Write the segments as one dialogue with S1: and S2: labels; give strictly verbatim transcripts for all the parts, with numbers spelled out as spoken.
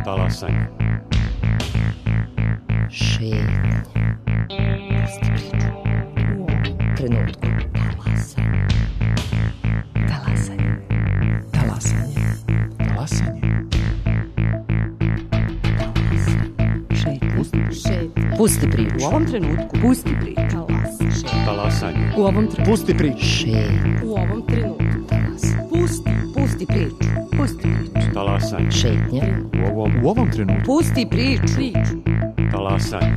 S1: Talasanje.
S2: Šetnje. Pusti priču. U ovom trenutku. Talasanje. Talasanje.
S3: Talasanje.
S2: Šetnje. Pusti priču.
S4: U ovom trenutku. Pusti priču.
S1: Talasanje.
S4: U ovom trenutku.
S3: Pusti priču.
S2: Šetnje.
S4: U ovom trenutku. Pusti. Pusti priču. Pusti priču.
S1: Talasanje.
S2: Šetnje.
S1: U ovom,
S3: U ovom trenutku.
S4: Pusti priču. Priču.
S1: talasanje.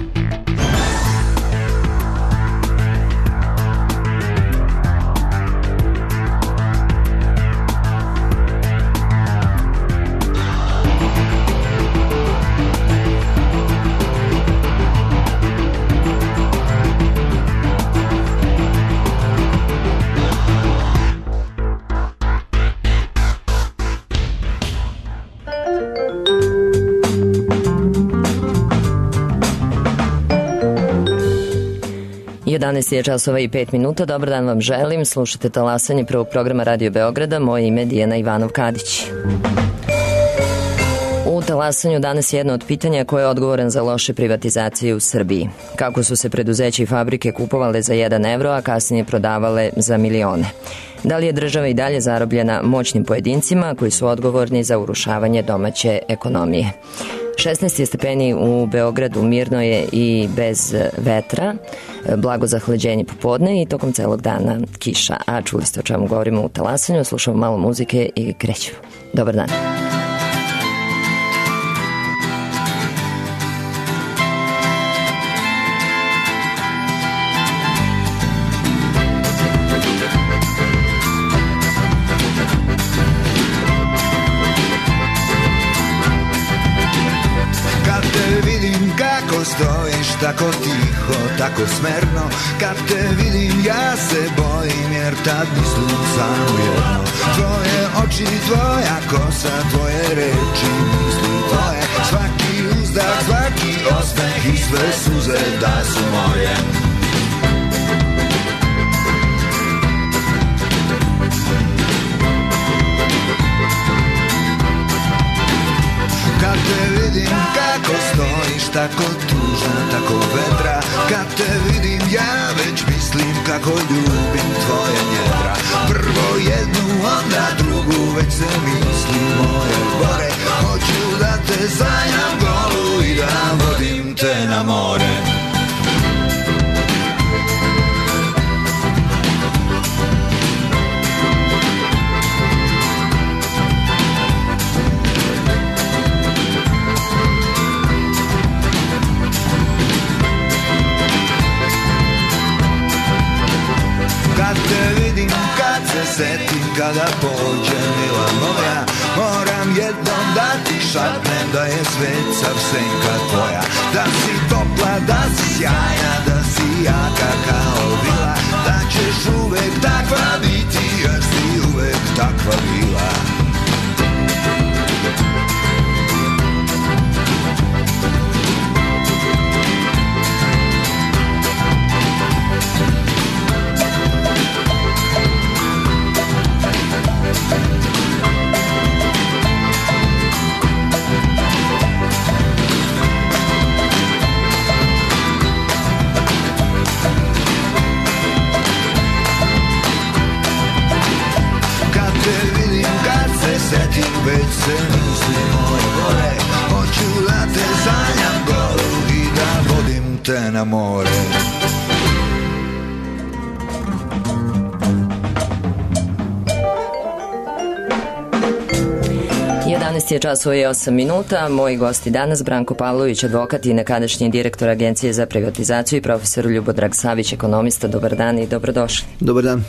S2: jedanaest je časova i pet minuta. Dobar dan vam želim. Slušate Talasanje prvog programa Radio Beograda. Moje ime je Dijana Ivanov-Kadić. U Talasanju danas je jedno od pitanja koje je odgovoran za loše privatizacije u Srbiji. Kako su se preduzeće i fabrike kupovale za jedan evro, a kasnije prodavale za milione? Da li je država i dalje zarobljena moćnim pojedincima koji su odgovorni za urušavanje domaće ekonomije? šesnaest je stepeni u Beogradu, mirno je i bez vetra, blago zahlađenje popodne i tokom celog dana kiša. A čuli ste o čemu govorimo u Talasanju, slušamo malo muzike i krećemo. Dobar dan.
S5: Stojiš tako tiho, tako smerno. Kad te vidim ja se bojim, jer tad mislim samo jedno. Tvoje oči, tvoja kosa, tvoje reči, misli tvoje. Svaki uzdah, svaki osmeh i sve suze da su moje. Kad te vidim kako stojiš, tako tužno, tako vedra. Kad te vidim ja već mislim kako ljubim tvoje njedra. Prvo jednu, onda drugu, već se misli moje gore. Hoću da te sanjam golu i da vodim te na more. Kad te vidim, kad se setim, kada pođe mila moja, moram jednom da ti šapnem da je svet sav senka tvoja. Da si topla, da si sjajna, da si jaka kao vila, da ćeš uvek takva biti, jer si uvek takva bila. Setim, već se misli moje gore. Hoću da te sanjam golu i da vodim te na more.
S2: jedanaest je časova i osam minuta. Moji gosti danas Branko Pavlović, advokat i nekadašnji direktor Agencije za privatizaciju, i profesor Ljubodrag Savić, ekonomista. Dobar dan i dobrodošli.
S6: Dobar dan.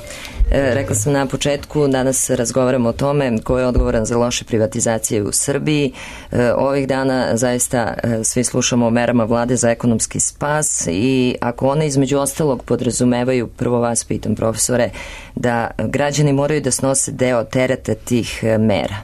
S2: E, rekla sam na početku, danas razgovaramo o tome ko je odgovoran za loše privatizacije u Srbiji. E, ovih dana zaista e, svi slušamo o merama vlade za ekonomski spas i ako one između ostalog podrazumevaju, prvo vas pitam profesore, da građani moraju da snose deo tereta tih e, mera.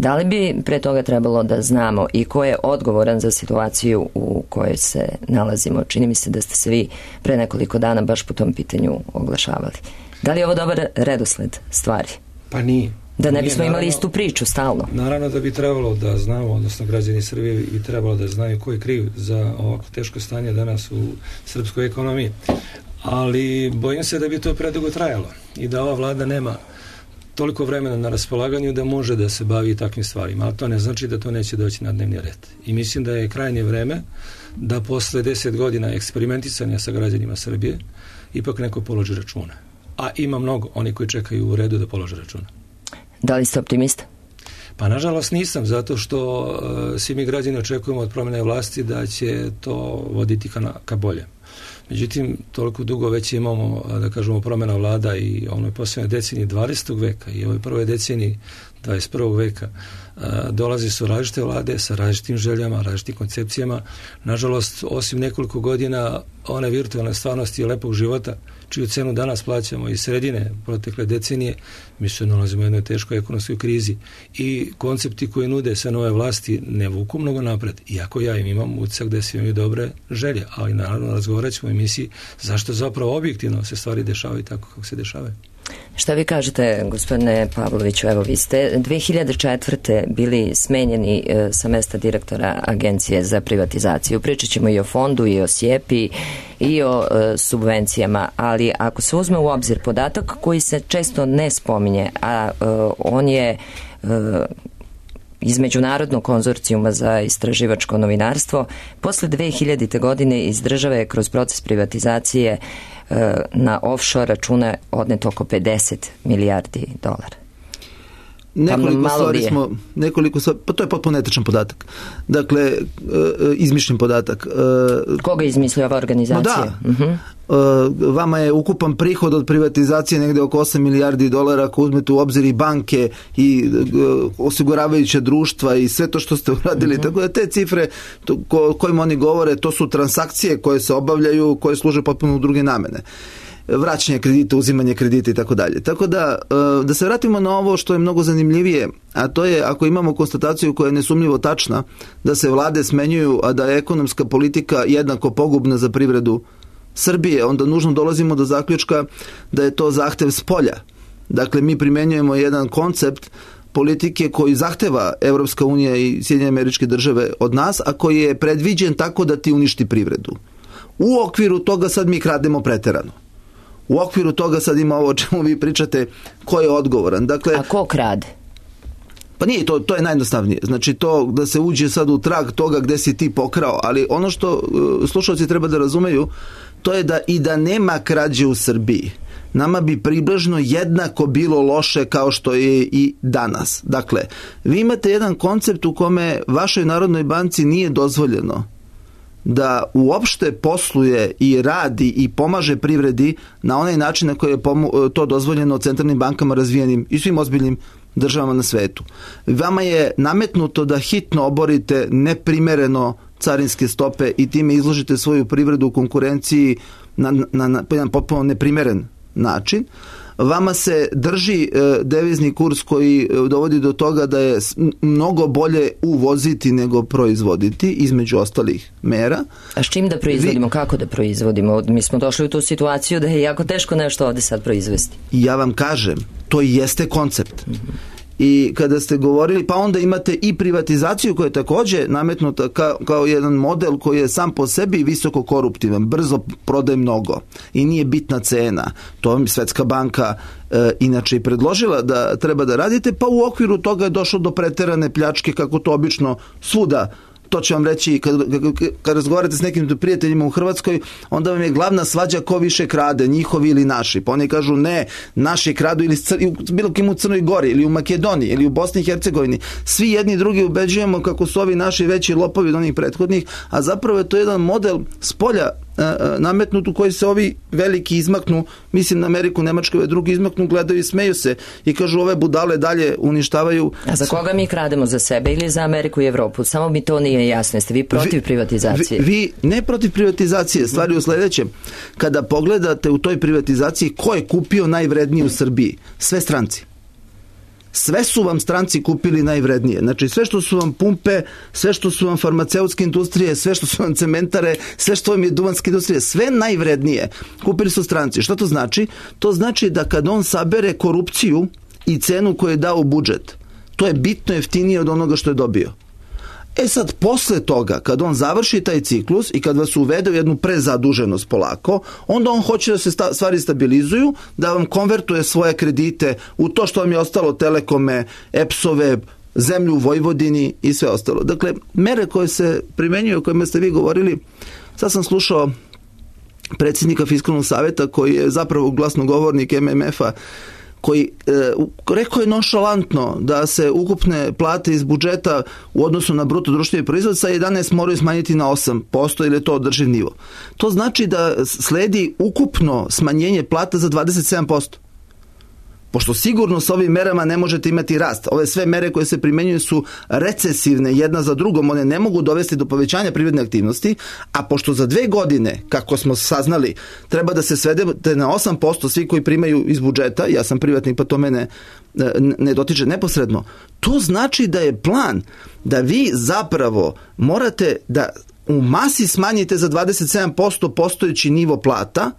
S2: Da li bi pre toga trebalo da znamo i ko je odgovoran za situaciju u kojoj se nalazimo? Čini mi se da ste se vi pre nekoliko dana baš po tom pitanju oglašavali. Da li je ovo dobar redosled stvari?
S3: Pa nije.
S2: Da ne bismo
S3: Nije,
S2: imali
S3: naravno,
S2: istu priču stalno.
S3: Naravno da bi trebalo da znamo, odnosno građani Srbije bi trebalo da znaju ko je kriv za ovako teško stanje danas u srpskoj ekonomiji. Ali bojim se da bi to predugo trajalo i da ova vlada nema toliko vremena na raspolaganju da može da se bavi takvim stvarima, ali to ne znači da to neće doći na dnevni red. I mislim da je krajnje vreme da posle deset godina eksperimentisanja sa građanima Srbije ipak neko položi računa. A ima mnogo oni koji čekaju u redu da polože računa.
S2: Da li ste optimista?
S3: Pa nažalost nisam, zato što uh, svi mi građani očekujemo od promjene vlasti da će to voditi ka, na, ka bolje. Međutim, toliko dugo već imamo, da kažemo, promjena vlada i onoj posljednjoj deceniji dvadesetog veka i ovoj prvoj deceniji dvadeset prvog veka dolazi su različite vlade sa različitim željama, različitim koncepcijama. Nažalost, osim nekoliko godina one virtualne stvarnosti i lepog života, čiju cenu danas plaćamo iz sredine protekle decenije, mi se nalazimo u jednoj teškoj ekonomskoj krizi i koncepti koji nude sve nove vlasti ne vuku mnogo napred. Iako ja im imam utisak da svi imaju dobre želje, ali naravno razgovarat ćemo u emisiji zašto zapravo objektivno se stvari dešavaju tako kako se dešavaju.
S2: Šta vi kažete, gospodine Pavloviću? Evo, vi ste dve hiljade četvrte bili smenjeni e, sa mesta direktora Agencije za privatizaciju. Pričat ćemo i o fondu, i o sjepi, i o e, subvencijama, ali ako se uzme u obzir podatak koji se često ne spominje, a e, on je e, iz Međunarodnog konzorcijuma za istraživačko novinarstvo, posle dve hiljadite. godine iz države je kroz proces privatizacije na offshore račune odneto oko pedeset milijardi dolara.
S6: Nekoliko stvari smo, nekoliko stvari, pa to je potpuno netačan podatak. Dakle, izmišljen podatak.
S2: Koga je izmislio ova organizacija?
S6: No da. Uh-huh. Vama je ukupan prihod od privatizacije negde oko osam milijardi dolara, ako uzmete u obzir i banke i osiguravajuće društva i sve to što ste uradili. Uh-huh. Tako da te cifre to, ko, kojima oni govore, to su transakcije koje se obavljaju, koje služe potpuno u druge namene. Vraćanje kredita, uzimanje kredita i tako dalje. Tako da, da se vratimo na ovo što je mnogo zanimljivije, a to je ako imamo konstataciju koja je nesumnjivo tačna, da se vlade smenjuju, a da je ekonomska politika jednako pogubna za privredu Srbije, onda nužno dolazimo do zaključka da je to zahtev spolja. Dakle, mi primenjujemo jedan koncept politike koji zahteva Evropska unija i Sjedinjene Američke Države od nas, a koji je predviđen tako da ti uništi privredu. U okviru toga sad mi krademo preterano. U okviru toga sad ima ovo o čemu vi pričate, ko je odgovoran. Dakle,
S2: a ko krade?
S6: Pa nije, to, to je najjednostavnije. Znači to da se uđe sad u trag toga gde si ti pokrao, ali ono što uh, slušalci treba da razumeju, to je da i da nema krađe u Srbiji, nama bi približno jednako bilo loše kao što je i danas. Dakle, vi imate jedan koncept u kome vašoj Narodnoj banci nije dozvoljeno da uopšte posluje i radi i pomaže privredi na onaj način na koji je to dozvoljeno centralnim bankama razvijenim i svim ozbiljnim državama na svetu. Vama je nametnuto da hitno oborite neprimereno carinske stope i time izložite svoju privredu u konkurenciji na, na, na jedan potpuno neprimeren način. Vama se drži e, devizni kurs koji dovodi do toga da je mnogo bolje uvoziti nego proizvoditi, između ostalih mera.
S2: A s čim da proizvodimo? Vi, kako da proizvodimo? Mi smo došli u tu situaciju da je jako teško nešto ovde sad proizvesti.
S6: Ja vam kažem, to i jeste koncept. Mm-hmm. I kada ste govorili, pa onda imate i privatizaciju koja je također nametnuta kao, kao jedan model koji je sam po sebi visoko koruptivan, brzo prodaje mnogo i nije bitna cena. To vam Svetska banka e, inače i predložila da treba da radite, pa u okviru toga je došlo do preterane pljačke kako to obično svuda. To ću vam reći, kad, kad razgovarate s nekim prijateljima u Hrvatskoj, onda vam je glavna svađa ko više krade, njihovi ili naši. Pa oni kažu ne, naši kradu ili bilo kim u Crnoj Gori, ili u Makedoniji, ili u Bosni i Hercegovini. Svi jedni drugi ubeđujemo kako su ovi naši veći lopovi od onih prethodnih, a zapravo je to jedan model spolja nametnut u koji se ovi veliki izmaknu, mislim na Ameriku, Nemačku, ove drugi izmaknu, gledaju i smeju se i kažu ove budale dalje uništavaju.
S2: A za koga mi krademo, za sebe ili za Ameriku i Evropu? Samo mi to nije jasno. Jeste vi protiv vi, privatizacije?
S6: Vi, vi ne protiv privatizacije, stvari u sledećem. Kada pogledate u toj privatizaciji ko je kupio najvrednije u Srbiji? Sve stranci. Sve su vam stranci kupili najvrednije. Znači sve što su vam pumpe, sve što su vam farmaceutske industrije, sve što su vam cementare, sve što vam je duvanske industrije, sve najvrednije kupili su stranci. Što to znači? To znači da kad on sabere korupciju i cenu koju je dao u budžet, to je bitno jeftinije od onoga što je dobio. E sad, posle toga, kad on završi taj ciklus i kad vas uvede u jednu prezaduženost polako, onda on hoće da se sta, stvari stabilizuju, da vam konvertuje svoje kredite u to što vam je ostalo, telekome, epsove, zemlju u Vojvodini i sve ostalo. Dakle, mere koje se primenjuju, o kojima ste vi govorili, sad sam slušao predsjednika Fiskalnog savjeta koji je zapravo glasnogovornik M M F-a, koji e, rekao je nonšalantno da se ukupne plate iz budžeta u odnosu na bruto društveni proizvod sa jedanaest moraju smanjiti na osam posto ili je to održiv nivo. To znači da sledi ukupno smanjenje plata za dvadeset sedam posto. Pošto sigurno s ovim merama ne možete imati rast. Ove sve mere koje se primenjuju su recesivne jedna za drugom, one ne mogu dovesti do povećanja privredne aktivnosti, a pošto za dve godine, kako smo saznali, treba da se svedete na osam posto svi koji primaju iz budžeta, ja sam privatnik pa to mene ne dotiče neposredno, to znači da je plan da vi zapravo morate da u masi smanjite za dvadeset sedam posto postojeći nivo plata,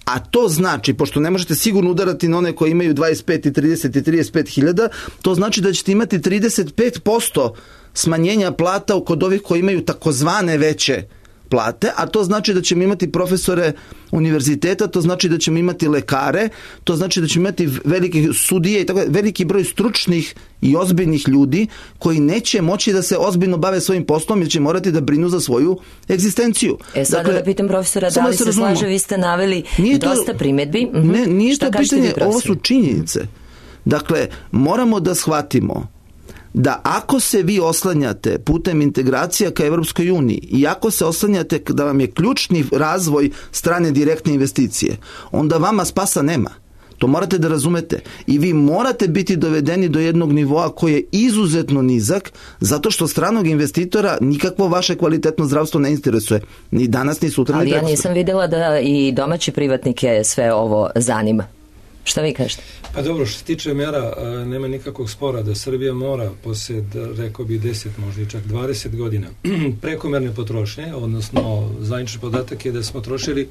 S6: a to znači, pošto ne možete sigurno udarati na one koji imaju dvadeset pet i trideset i trideset pet hiljada, to znači da ćete imati trideset pet posto smanjenja plata kod ovih koji imaju takozvane veće plate, a to znači da ćemo imati profesore univerziteta, to znači da ćemo imati lekare, to znači da ćemo imati velike sudije i tako, veliki broj stručnih i ozbiljnih ljudi koji neće moći da se ozbiljno bave svojim poslom jer će morati da brinu za svoju egzistenciju.
S2: E sada dakle, da pitam profesora, da li se slaže, vi ste naveli
S6: nije
S2: dosta
S6: to,
S2: primjedbi.
S6: Uh-huh. Ne, nije
S2: Šta
S6: to pitanje, ovo su činjenice. Dakle, moramo da shvatimo da ako se vi oslanjate putem integracija ka Evropskoj uniji i ako se oslanjate da vam je ključni razvoj strane direktne investicije, onda vama spasa nema. To morate da razumete. I vi morate biti dovedeni do jednog nivoa koji je izuzetno nizak, zato što stranog investitora nikakvo vaše kvalitetno zdravstvo ne interesuje. Ni danas, ni sutra, ni
S2: Ali
S6: prekosutra.
S2: ja nisam vidjela da i domaći privatnike sve ovo zanima. Šta vi kažete?
S3: Pa dobro, što se tiče mjera, nema nikakvog spora da Srbija mora poslije, rekao bi deset, možda i čak dvadeset godina prekomerne potrošnje, odnosno zvanični podatak je da smo trošili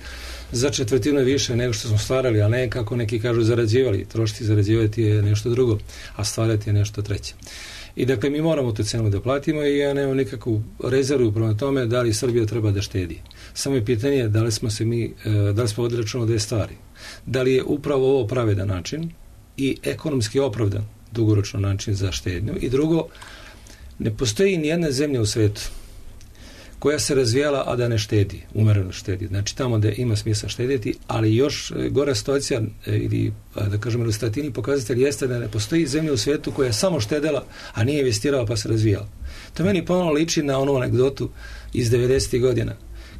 S3: za četvrtinu više nego što smo stvarali, a ne kako neki kažu zarađivali. Trošiti i zarađivati je nešto drugo, a stvarati je nešto treće. I dakle, mi moramo tu cenu da platimo i ja nemam nikakvu rezervu prema tome da li Srbija treba da štedi. Samo je pitanje da li smo se mi, da li smo vodili računa o dve stvari. Da li je upravo ovo pravedan način i ekonomski opravdan dugoročno način za štednju. I drugo, ne postoji ni jedna zemlja u svetu koja se razvijala, a da ne štedi, umereno štedi. Znači tamo da ima smisla štediti, ali još gora situacija ili da kažem ilustrativni pokazatelj jeste da ne postoji zemlja u svijetu koja je samo štedela, a nije investirala pa se razvijala. To meni ponovno liči na onu anegdotu iz devedesetih godina,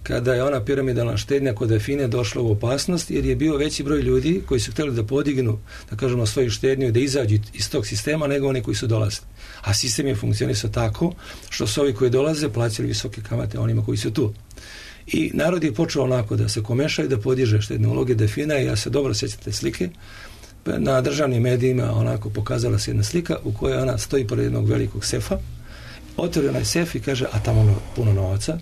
S3: kada je ona piramidalna štednja kod Afine došla u opasnost, jer je bio veći broj ljudi koji su htjeli da podignu, da kažemo, svoju štednju i da izađu iz tog sistema nego oni koji su dolazili. A sistem je funkcionisao tako što su ovi koji dolaze plaćali visoke kamate onima koji su tu. I narod je počeo onako da se komeša i da podiže štedne uloge Afina i ja se dobro sjećam te slike. Na državnim medijima onako pokazala se jedna slika u kojoj ona stoji pored jednog velikog sefa, otvori onaj sef i kaže, a tamo ono puno novaca,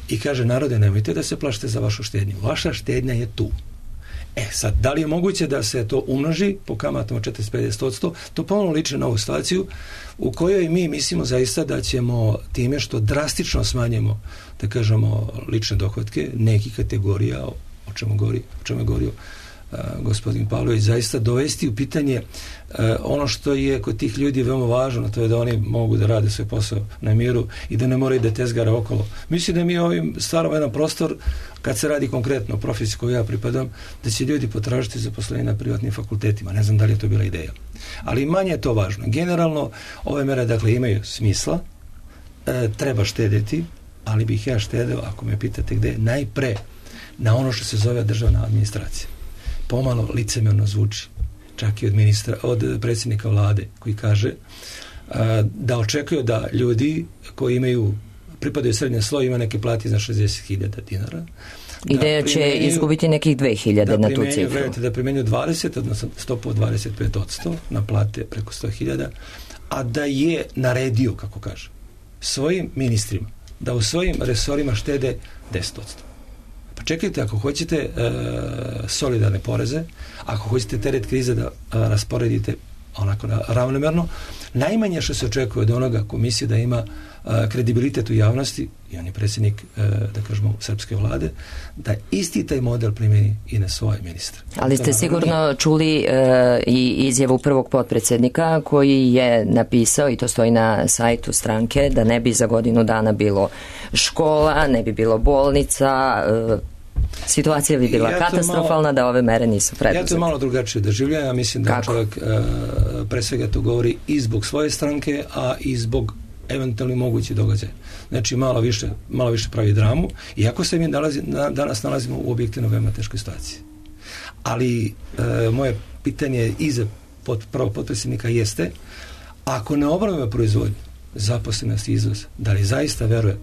S3: i kaže, narode, nemojte da se plašite za vašu štednju. Vaša štednja je tu. E, sad, da li je moguće da se to umnoži po kamatama četrdeset do pedeset posto? To ponovno liči na ovu situaciju u kojoj mi mislimo zaista da ćemo time što drastično smanjimo, da kažemo, lične dohotke nekih kategorija, o čemu govori, o čemu je govorio Uh, gospodin Pavlović, zaista dovesti u pitanje uh, ono što je kod tih ljudi veoma važno, to je da oni mogu da rade svoj posao na miru i da ne moraju da tezgara okolo. Mislim da mi ovim stvaramo jedan prostor, kad se radi konkretno o profesiji koju ja pripadam, da će ljudi potražiti zaposlenje na privatnim fakultetima. Ne znam da li je to bila ideja. Ali manje je to važno. Generalno, ove mere, dakle, imaju smisla, e, treba štediti, ali bih ja štedeo, ako me pitate gde, najpre na ono što se zove državna administracija. Pomalo licemjerno zvuči, čak i od ministra, od predsjednika vlade, koji kaže a, da očekuju da ljudi koji imaju, pripadaju srednje sloje, ima neke plati za šezdeset hiljada dinara.
S2: I da će izgubiti nekih dve hiljade na tu cifru.
S3: Da primenju dvadeset, odnosno stopu od dvadeset pet posto na plate preko sto hiljada, a da je naredio, kako kaže, svojim ministrima da u svojim resorima štede deset posto. Pa čekajte, ako hoćete e, solidarne poreze, ako hoćete teret krize da a, rasporedite onako ravnomerno. Najmanje što se očekuje od onoga komisije da ima a, kredibilitet u javnosti, i on je predsjednik, a, da kažemo, srpske vlade, da isti taj model primjeni i na svoje ministre.
S2: Ali ste sigurno čuli e, i izjavu prvog potpredsjednika koji je napisao, i to stoji na sajtu stranke, da ne bi za godinu dana bilo škola, ne bi bilo bolnica, e, situacija bi bila ja katastrofalna malo, da ove mere nisu preduzete.
S3: Ja to malo drugačije doživljam. Ja mislim da Kako? čovjek uh, pre svega to govori i zbog svoje stranke, a i zbog eventualno mogući događaj. Znači malo više, malo više pravi dramu, iako se mi nalazi, na, danas nalazimo u objektivno veoma teškoj situaciji. Ali uh, moje pitanje i za pod, prvo potpredsjednika jeste, ako ne obnovimo proizvodnju, zaposlenost i izvoz, da li zaista veruje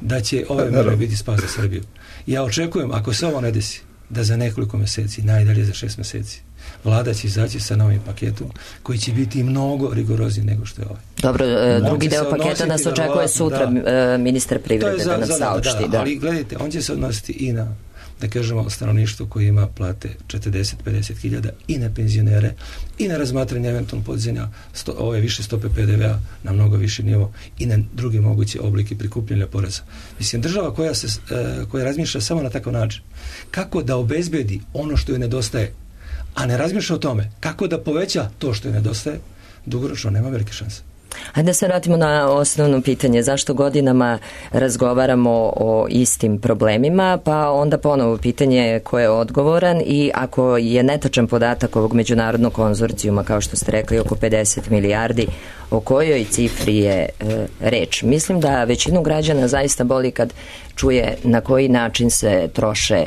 S3: da će ove mere biti spas za Srbiju? Ja očekujem, ako se ovo ne desi, da za nekoliko mjeseci, najdalje za šest mjeseci, vlada će izaći sa novim paketom koji će biti mnogo rigorozniji nego što je ovaj.
S2: Dobro, e, drugi deo paketa nas očekuje sutra, da, ministar privrede da nam saopšti.
S3: Da, da, ali gledajte, on će se odnositi i na, da kažemo, stanovništvo koje ima plate četrdeset do pedeset hiljada, i na penzionere, i na razmatranje eventualno podizanja sto, ove više stope P D V-a na mnogo više nivo, i na druge moguće oblike prikupljanja poreza. Mislim, država koja, se, koja razmišlja samo na takav način, kako da obezbedi ono što joj nedostaje, a ne razmišlja o tome kako da poveća to što joj nedostaje, dugoročno nema velike šanse.
S2: Hajde da se vratimo na osnovno pitanje. Zašto godinama razgovaramo o istim problemima, pa onda ponovo pitanje ko je odgovoran, i ako je netačan podatak ovog međunarodnog konzorcijuma, kao što ste rekli, oko pedeset milijardi, o kojoj cifri je e, reč? Mislim da većinu građana zaista boli kad čuje na koji način se troše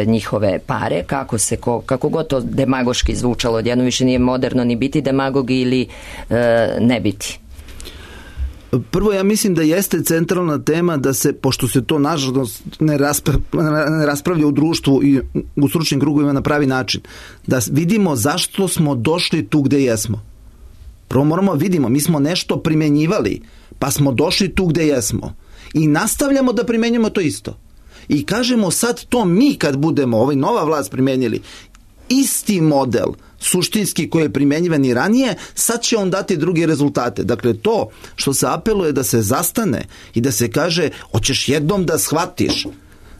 S2: njihove pare, kako se ko, kako god to demagoški zvučalo, odjedno više nije moderno ni biti demagog ili e, ne biti.
S6: Prvo, ja mislim da jeste centralna tema da se, pošto se to nažalost ne, raspra, ne raspravlja u društvu i u stručnim krugovima na pravi način, da vidimo zašto smo došli tu gde jesmo. Prvo moramo vidimo, mi smo nešto primenjivali, pa smo došli tu gde jesmo. I nastavljamo da primenjujemo to isto. I kažemo sad to mi kad budemo, ovaj nova vlast primenjili, isti model suštinski koji je primenjivan i ranije, sad će on dati druge rezultate. Dakle, to što se apeluje da se zastane i da se kaže, hoćeš jednom da shvatiš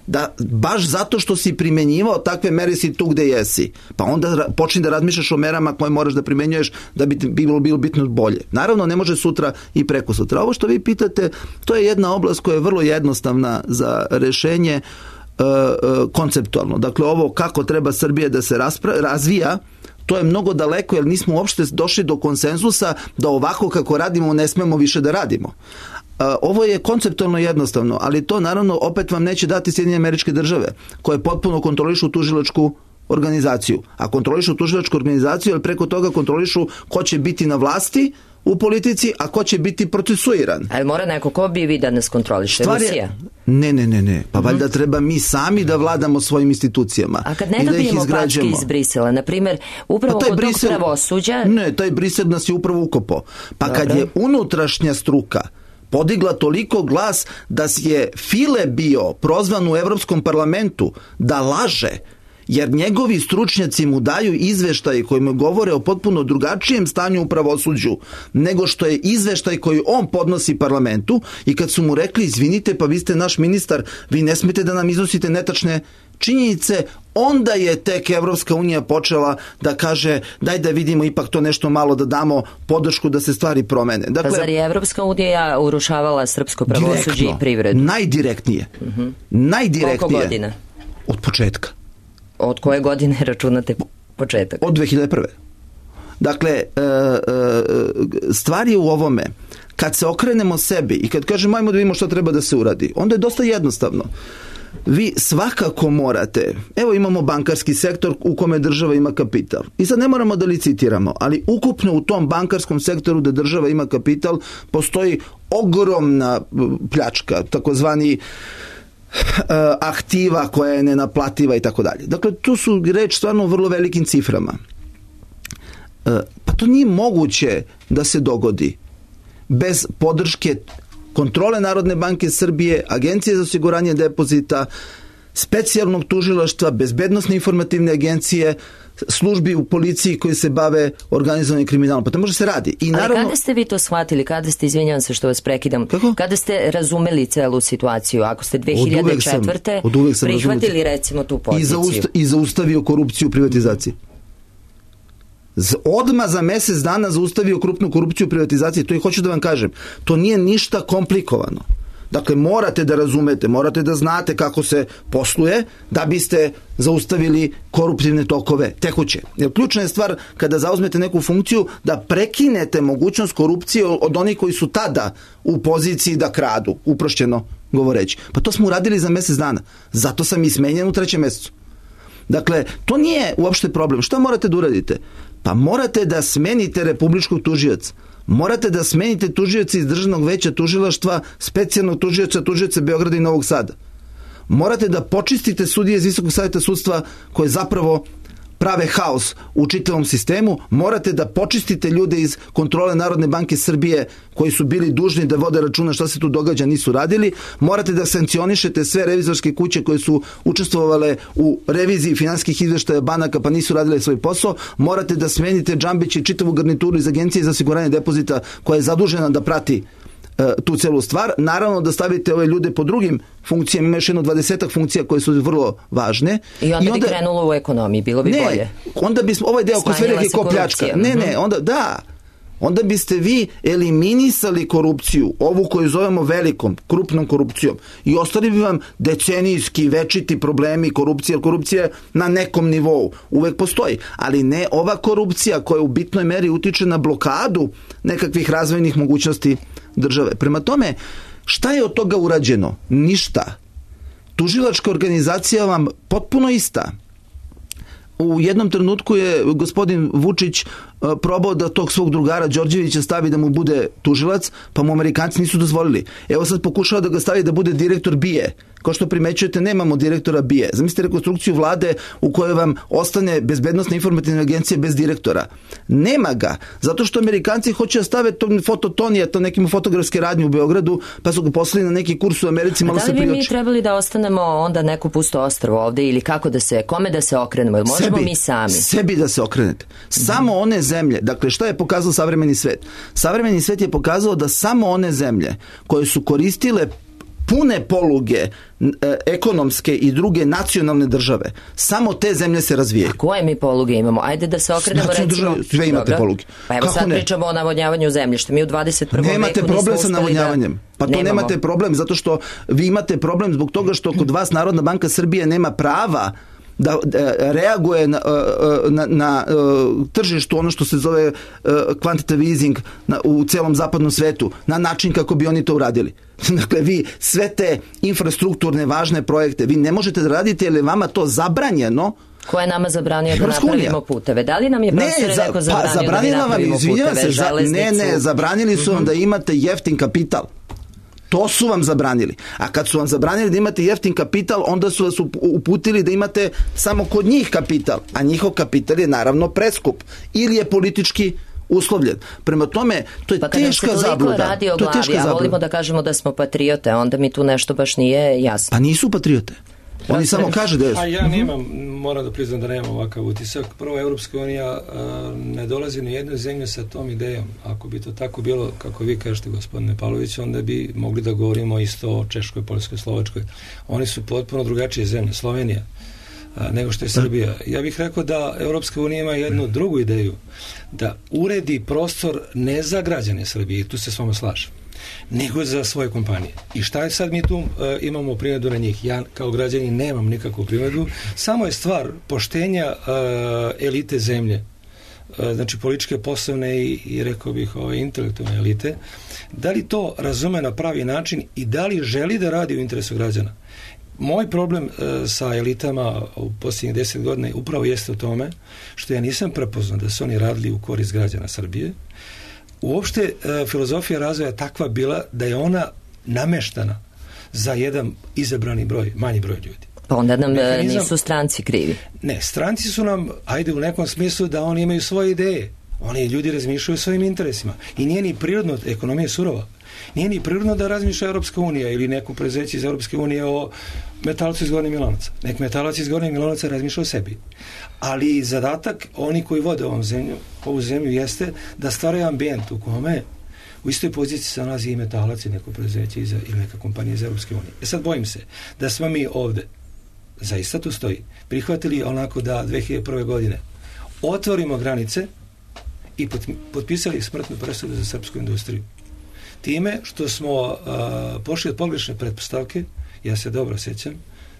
S6: da baš zato što si primenjivao takve mere si tu gde jesi, pa onda počni da razmišljaš o merama koje moraš da primenjuješ da bi bilo, bilo bitno bolje. Naravno, ne može sutra i preko sutra. Ovo što vi pitate, to je jedna oblast koja je vrlo jednostavna za rešenje, e, e, konceptualno. Dakle, ovo kako treba Srbija da se raspra- razvija, to je mnogo daleko, jer nismo uopšte došli do konsenzusa da ovako kako radimo ne smemo više da radimo. Ovo je konceptualno jednostavno, ali to naravno opet vam neće dati Sjedinjene Američke Države, koje potpuno kontrolišu tužilačku organizaciju. A kontrolišu tužilačku organizaciju, ali preko toga kontrolišu ko će biti na vlasti u politici, a ko će biti procesuiran.
S2: Ali mora neko, ko bi vi da nas kontroliše?
S6: Stvar je,
S2: Rusija?
S6: Ne, ne, ne, ne. Pa mm-hmm. valjda treba mi sami da vladamo svojim institucijama.
S2: A kad ne dobijemo da packe iz Brisela, na primjer, upravo kod Brisel, tog pravosuđa...
S6: Ne, taj Brisel nas je upravo ukopao. Pa Dobre. Kad je unutrašnja struka podigla toliko glas da je File bio prozvan u Evropskom parlamentu da laže, jer njegovi stručnjaci mu daju izveštaje koji mu govore o potpuno drugačijem stanju u pravosuđu nego što je izveštaj koji on podnosi parlamentu, i kad su mu rekli, izvinite, pa vi ste naš ministar, vi ne smete da nam iznosite netačne činjenice, onda je tek Evropska unija počela da kaže, daj da vidimo ipak to nešto malo, da damo podršku da se stvari promene. Dakle,
S2: pa zar je Evropska unija urušavala srpsko pravosuđe i privredu?
S6: Najdirektnije. Uh-huh. Najdirektnije.
S2: Koliko godina?
S6: Od početka.
S2: Od koje godine računate početak?
S6: Od dve hiljade prve. Dakle, stvar je u ovome, kad se okrenemo sebi i kad kažemo ajmo da vidimo što treba da se uradi, onda je dosta jednostavno. Vi svakako morate, evo imamo bankarski sektor u kome država ima kapital. I sad ne moramo da licitiramo, ali ukupno u tom bankarskom sektoru da država ima kapital postoji ogromna pljačka, takozvani aktiva koja je nenaplativa i tako dalje. Dakle, tu su reč stvarno o vrlo velikim ciframa. Pa to nije moguće da se dogodi bez podrške kontrole Narodne banke Srbije, Agencije za osiguranje depozita, specijalnog tužilaštva, bezbednosne informativne agencije, službi u policiji koji se bave organizovanim kriminalom. Pa to može se radi. I naravno...
S2: Ali kada ste vi to shvatili? Kada ste, izvinjavam se što vas prekidam, Kako? kada ste razumeli celu situaciju? Ako ste dve hiljade četvrte.
S6: Od uvek sam
S2: prihvatili
S6: razumeli.
S2: recimo tu poziciju.
S6: I, zausta, I zaustavio korupciju u privatizaciji. Z, odmah za mesec dana zaustavio krupnu korupciju u privatizaciji. To i hoću da vam kažem. To nije ništa komplikovano. Dakle, morate da razumete, morate da znate kako se posluje da biste zaustavili koruptivne tokove tekuće. Jer ključna je stvar kada zauzmete neku funkciju da prekinete mogućnost korupcije od onih koji su tada u poziciji da kradu, uprošćeno govoreći. Pa to smo uradili za mesec dana. Zato sam i smenjen u trećem mesecu. Dakle, to nije uopšte problem. Šta morate da uradite? Pa morate da smenite republičkog tužioca. Morate da smenite tužioca iz Državnog veća tužilaštva, specijalnog tužioca, tužioca Beograda i Novog Sada. Morate da počistite sudije iz Visokog saveta sudstva koje zapravo prave haos u čitavom sistemu. Morate da počistite ljude iz kontrole Narodne banke Srbije koji su bili dužni da vode računa šta se tu događa, nisu radili. Morate da sankcionišete sve revizorske kuće koje su učestvovale u reviziji finansijskih izveštaja banaka pa nisu radile svoj posao. Morate da smenite Džambić i čitavu garnituru iz Agencije za osiguranje depozita koja je zadužena da prati tu celu stvar. Naravno da stavite ove ljude po drugim funkcijama, ima još jedno dvadesetak funkcija koje su vrlo važne.
S2: I onda, I onda bi krenulo u ekonomiji, bilo bi
S6: ne,
S2: bolje.
S6: Onda bismo, ovaj deo ko sve reke ko pljačka. Ne, ne, onda, da, onda biste vi eliminisali korupciju, ovu koju zovemo velikom, krupnom korupcijom i ostali bi vam decenijski večiti problemi korupcije, jer korupcija na nekom nivou uvek postoji, ali ne ova korupcija koja u bitnoj meri utiče na blokadu nekakvih razvojnih mogućnosti države. Prema tome, šta je od toga urađeno? Ništa. Tužilačka organizacija vam potpuno ista. U jednom trenutku je gospodin Vučić probao da tog svog drugara Đorđevića stavi da mu bude tužilac, pa mu Amerikanci nisu dozvolili. Evo sad pokušava da ga stavi da bude direktor B I E. Kao što primećujete, nemamo direktora B I E. Zamislite rekonstrukciju vlade u kojoj vam ostane bezbednosna informativna agencija bez direktora. Nema ga, zato što Amerikanci hoće da stave to fototonija, to nekim fotografske radnje u Beogradu, pa su ga poslali na neki kurs u Americi, malo se prioči.
S2: Da li bi mi trebali da ostanemo onda neko pusto ostrvo ovde ili kako da se, kome da se okrenemo? Ili možemo sebi, mi sami? Sebi
S6: da se okrenete. Samo one zemlje, dakle šta je pokazao savremeni svet? Savremeni svet je pokazao da samo one zemlje koje su koristile pune poluge e, ekonomske i druge nacionalne države, samo te zemlje se razvijaju.
S2: A koje mi poluge imamo? Ajde da se okrenemo recimo...
S6: Države, sve imate Dobro. poluge.
S2: Pa evo Kako sad ne? pričamo o navodnjavanju zemljišta. Mi u dvadeset prvom veku
S6: nemate problem sa navodnjavanjem. Pa to nemamo. Nemate problem, zato što vi imate problem zbog toga što kod vas Narodna banka Srbije nema prava da reaguje na, na, na tržištu ono što se zove quantitative easing na, u celom zapadnom svetu, na način kako bi oni to uradili. Dakle, vi sve te infrastrukturne važne projekte, vi ne možete da radite jer je vama to zabranjeno.
S2: Ko je nama zabranio da napravimo puteve? Da li nam je profesor ne, za, neko zabranio pa, da mi napravimo vam, puteve?
S6: Se, za, ne, ne, zabranili su vam uh-huh. da imate jeftin kapital. To su vam zabranili. A kad su vam zabranili da imate jeftin kapital, onda su vas uputili da imate samo kod njih kapital. A njihov kapital je naravno preskup. Ili je politički uslovljen. Prema tome, to je
S2: pa
S6: teška zabluda.
S2: Pa radi o glavi, a volimo da kažemo da smo patriote, onda mi tu nešto baš nije jasno.
S6: Pa nisu patriote. Oni samo kaže da je...
S3: A ja nemam, moram da priznam da nemam ovakav utisak. Prvo, Evropska unija a, ne dolazi ni jednu zemlju sa tom idejom. Ako bi to tako bilo, kako vi kažete, gospodine Pavlović, onda bi mogli da govorimo isto o Češkoj, Poljskoj, Slovačkoj. Oni su potpuno drugačije zemlje, Slovenija, a, nego što je Srbija. Ja bih rekao da Evropska unija ima jednu drugu ideju, da uredi prostor ne za građane Srbije, i tu se s vama slažem, nego za svoje kompanije. I šta je sad mi tu uh, imamo primjedu na njih? Ja kao građanin nemam nikakvu primjedu. Samo je stvar poštenja uh, elite zemlje, uh, znači političke, poslovne i, i rekao bih ove intelektualne elite, da li to razume na pravi način i da li želi da radi u interesu građana. Moj problem uh, sa elitama u posljednjih deset godina upravo jeste u tome što ja nisam prepoznao da su oni radili u korist građana Srbije. Uopšte e, filozofija razvoja je takva bila da je ona nameštana za jedan izabrani broj, manji broj ljudi.
S2: Pa onda nam Mehanizam, nisu stranci krivi.
S3: Ne, stranci su nam, ajde u nekom smislu da oni imaju svoje ideje. Oni ljudi razmišljaju o svojim interesima. I nije ni prirodno, ekonomija je surova, nije ni prirodno da razmišlja Europska unija ili neko preduzeće iz Europske unije o metalcu iz Gornjeg Milanovca. Nek metalac iz Gornjeg Milanovca razmišlja o sebi. Ali zadatak oni koji vode ovom zemlju, ovu zemlju jeste da stvaraju ambijent u kome u istoj poziciji se nalazi i metalac i neko preduzeće iz, ili neka kompanija iz Europske unije. E sad bojim se da smo mi ovde, zaista tu stoji, prihvatili onako da dve hiljade prve. godine otvorimo granice i potpisali smrtnu presudu za srpsku industriju. Time što smo uh, pošli od pogrešne pretpostavke, ja se dobro sjećam,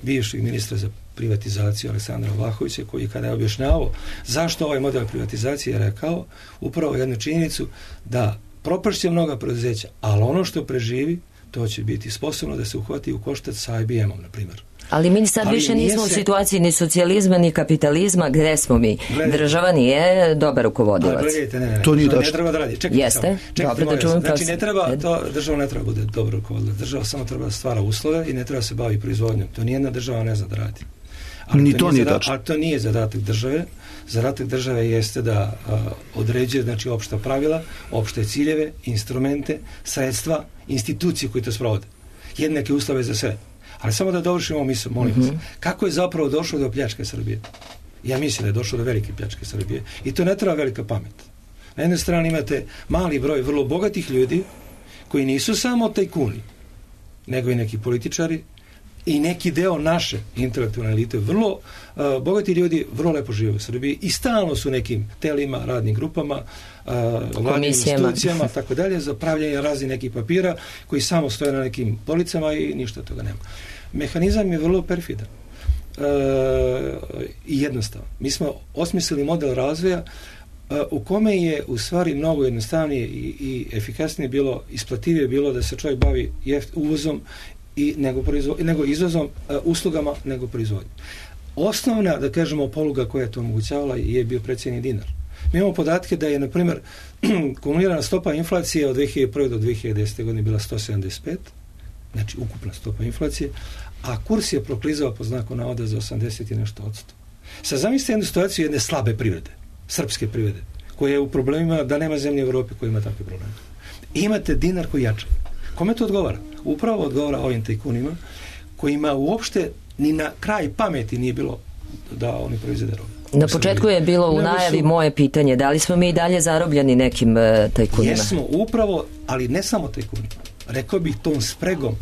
S3: bivšeg ministra za privatizaciju Aleksandra Vlahovića, koji kada je objašnjavao zašto ovaj model privatizacije je rekao upravo jednu činjenicu da propašće mnoga preduzeća, ali ono što preživi, to će biti sposobno da se uhvati u koštac sa I B M-om, na primjer.
S2: Ali mi sad ali više nismo se... u situaciji ni socijalizma, ni kapitalizma, gde smo mi? Gledajte. Država nije dobar rukovodilac.
S3: Ali gledajte, ne, ne,
S6: to nije
S3: to ne treba da radi. Čekajte,
S2: jeste?
S3: Čekajte, Dobre, da znači, ne treba, to, država ne treba bude dobar rukovodilac. Država samo treba da stvara uslove i ne treba se bavi proizvodnjom. To nijedna država ne zna da radi. Ali
S6: ni
S3: to,
S6: to nije
S3: zada,
S6: tačno.
S3: Ali to nije zadatak države. Zadatak države jeste da a, određuje znači opšta pravila, opšte ciljeve, instrumente, sredstva, institucije koje to sprovode. Jednake uslove za sve. Ali samo da dovršimo misao, molim vas. Mm-hmm. Kako je zapravo došlo do pljačke Srbije? Ja mislim da je došlo do velike pljačke Srbije. I to ne treba velika pamet. Na jednoj strani imate mali broj vrlo bogatih ljudi koji nisu samo tajkuni, nego i neki političari i neki deo naše intelektualne elite. Vrlo uh, bogati ljudi vrlo lepo žive u Srbiji i stalno su nekim telima, radnim grupama, uh, vladnim institucijama, tako dalje, za pravljanje raznih nekih papira koji samo stoje na nekim policama i ništa od toga nema. Mehanizam je vrlo perfidan uh, i jednostavan. Mi smo osmislili model razvoja uh, u kome je u stvari mnogo jednostavnije i, i efikasnije bilo, isplativije bilo da se čovjek bavi jeft, uvozom i nego, proizvo, nego izvozom uh, uslugama nego proizvodnjom. Osnovna, da kažemo, poluga koja je to omogućavala je bio precijenjeni dinar. Mi imamo podatke da je, na primjer, kumulirana stopa inflacije od dve hiljade prve. do dve hiljade desete. godine bila sto sedamdeset pet, znači ukupna stopa inflacije, a kurs je proklizao po znaku navoda za osamdeset i nešto odsto. Sad zamislite jednu situaciju jedne slabe privrede, srpske privrede, koja je u problemima da nema zemlje u Evropi koja ima takve probleme. I imate dinar koji jača. Kome to odgovara? Upravo odgovara ovim tajkunima kojima uopšte ni na kraj pameti nije bilo da oni proizvede robu.
S2: Na početku je bilo u najavi su... moje pitanje, da li smo mi i dalje zarobljeni nekim uh, tajkunima?
S3: Jesmo, upravo, ali ne samo tajkunima. Rekao bih tom spregom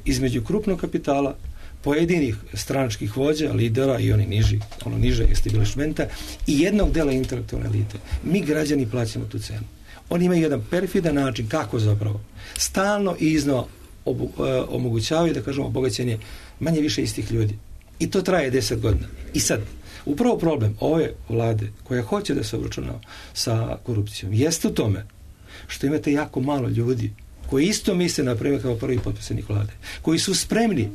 S3: između krupnog kapitala, pojedinih stranačkih vođa, lidera i oni niži, ono niže establishmenta i jednog dela intelektualne elite. Mi građani plaćamo tu cenu. Oni imaju jedan perfidan način kako zapravo stalno i iznova obu, uh, omogućavaju, da kažemo, obogaćenje manje više istih ljudi. I to traje deset godina. I sad, upravo problem ove vlade koja hoće da se obračunava sa korupcijom jeste u tome što imate jako malo ljudi koji isto misle, na primjer, kao prvi potpredsjednik vlade, koji su spremni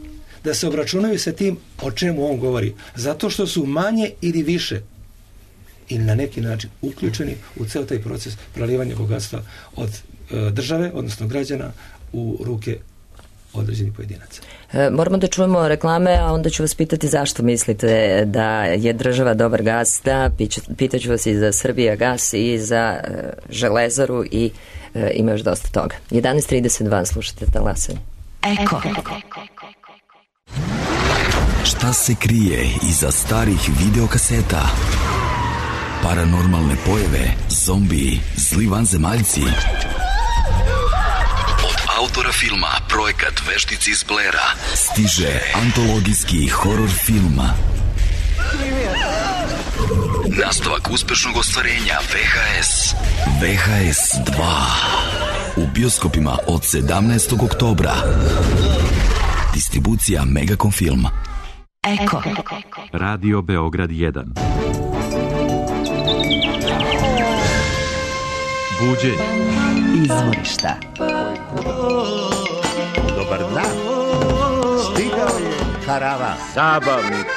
S3: da se obračunaju sa tim o čemu on govori, zato što su manje ili više ili na neki način uključeni u ceo taj proces prelivanja bogatstva od e, države, odnosno građana, u ruke određenih pojedinaca.
S2: E, moramo da čujemo reklame, a onda ću vas pitati zašto mislite da je država dobar gazda. Pitaću vas i za Srbija gas i za e, železaru i e, ima još dosta toga. jedanaest trideset dva, slušate Talasanje.
S4: Eko.
S7: Šta se krije iza starih videokaseta? Paranormalne pojave, zombiji, zli vanzemaljci. Autora filma Projekat Veštici iz Blera stiže antologijski horor film. Nastavak uspešnog ostvarenja V H S. V H S dva. U bioskopima od sedamnaestog oktobra. Distribucija Megacom Film.
S4: Eko.
S1: Radio Beograd jedan. Buđenje.
S4: Izvorišta.
S8: Dobar dan. Stigao je karavan. Zabavnik.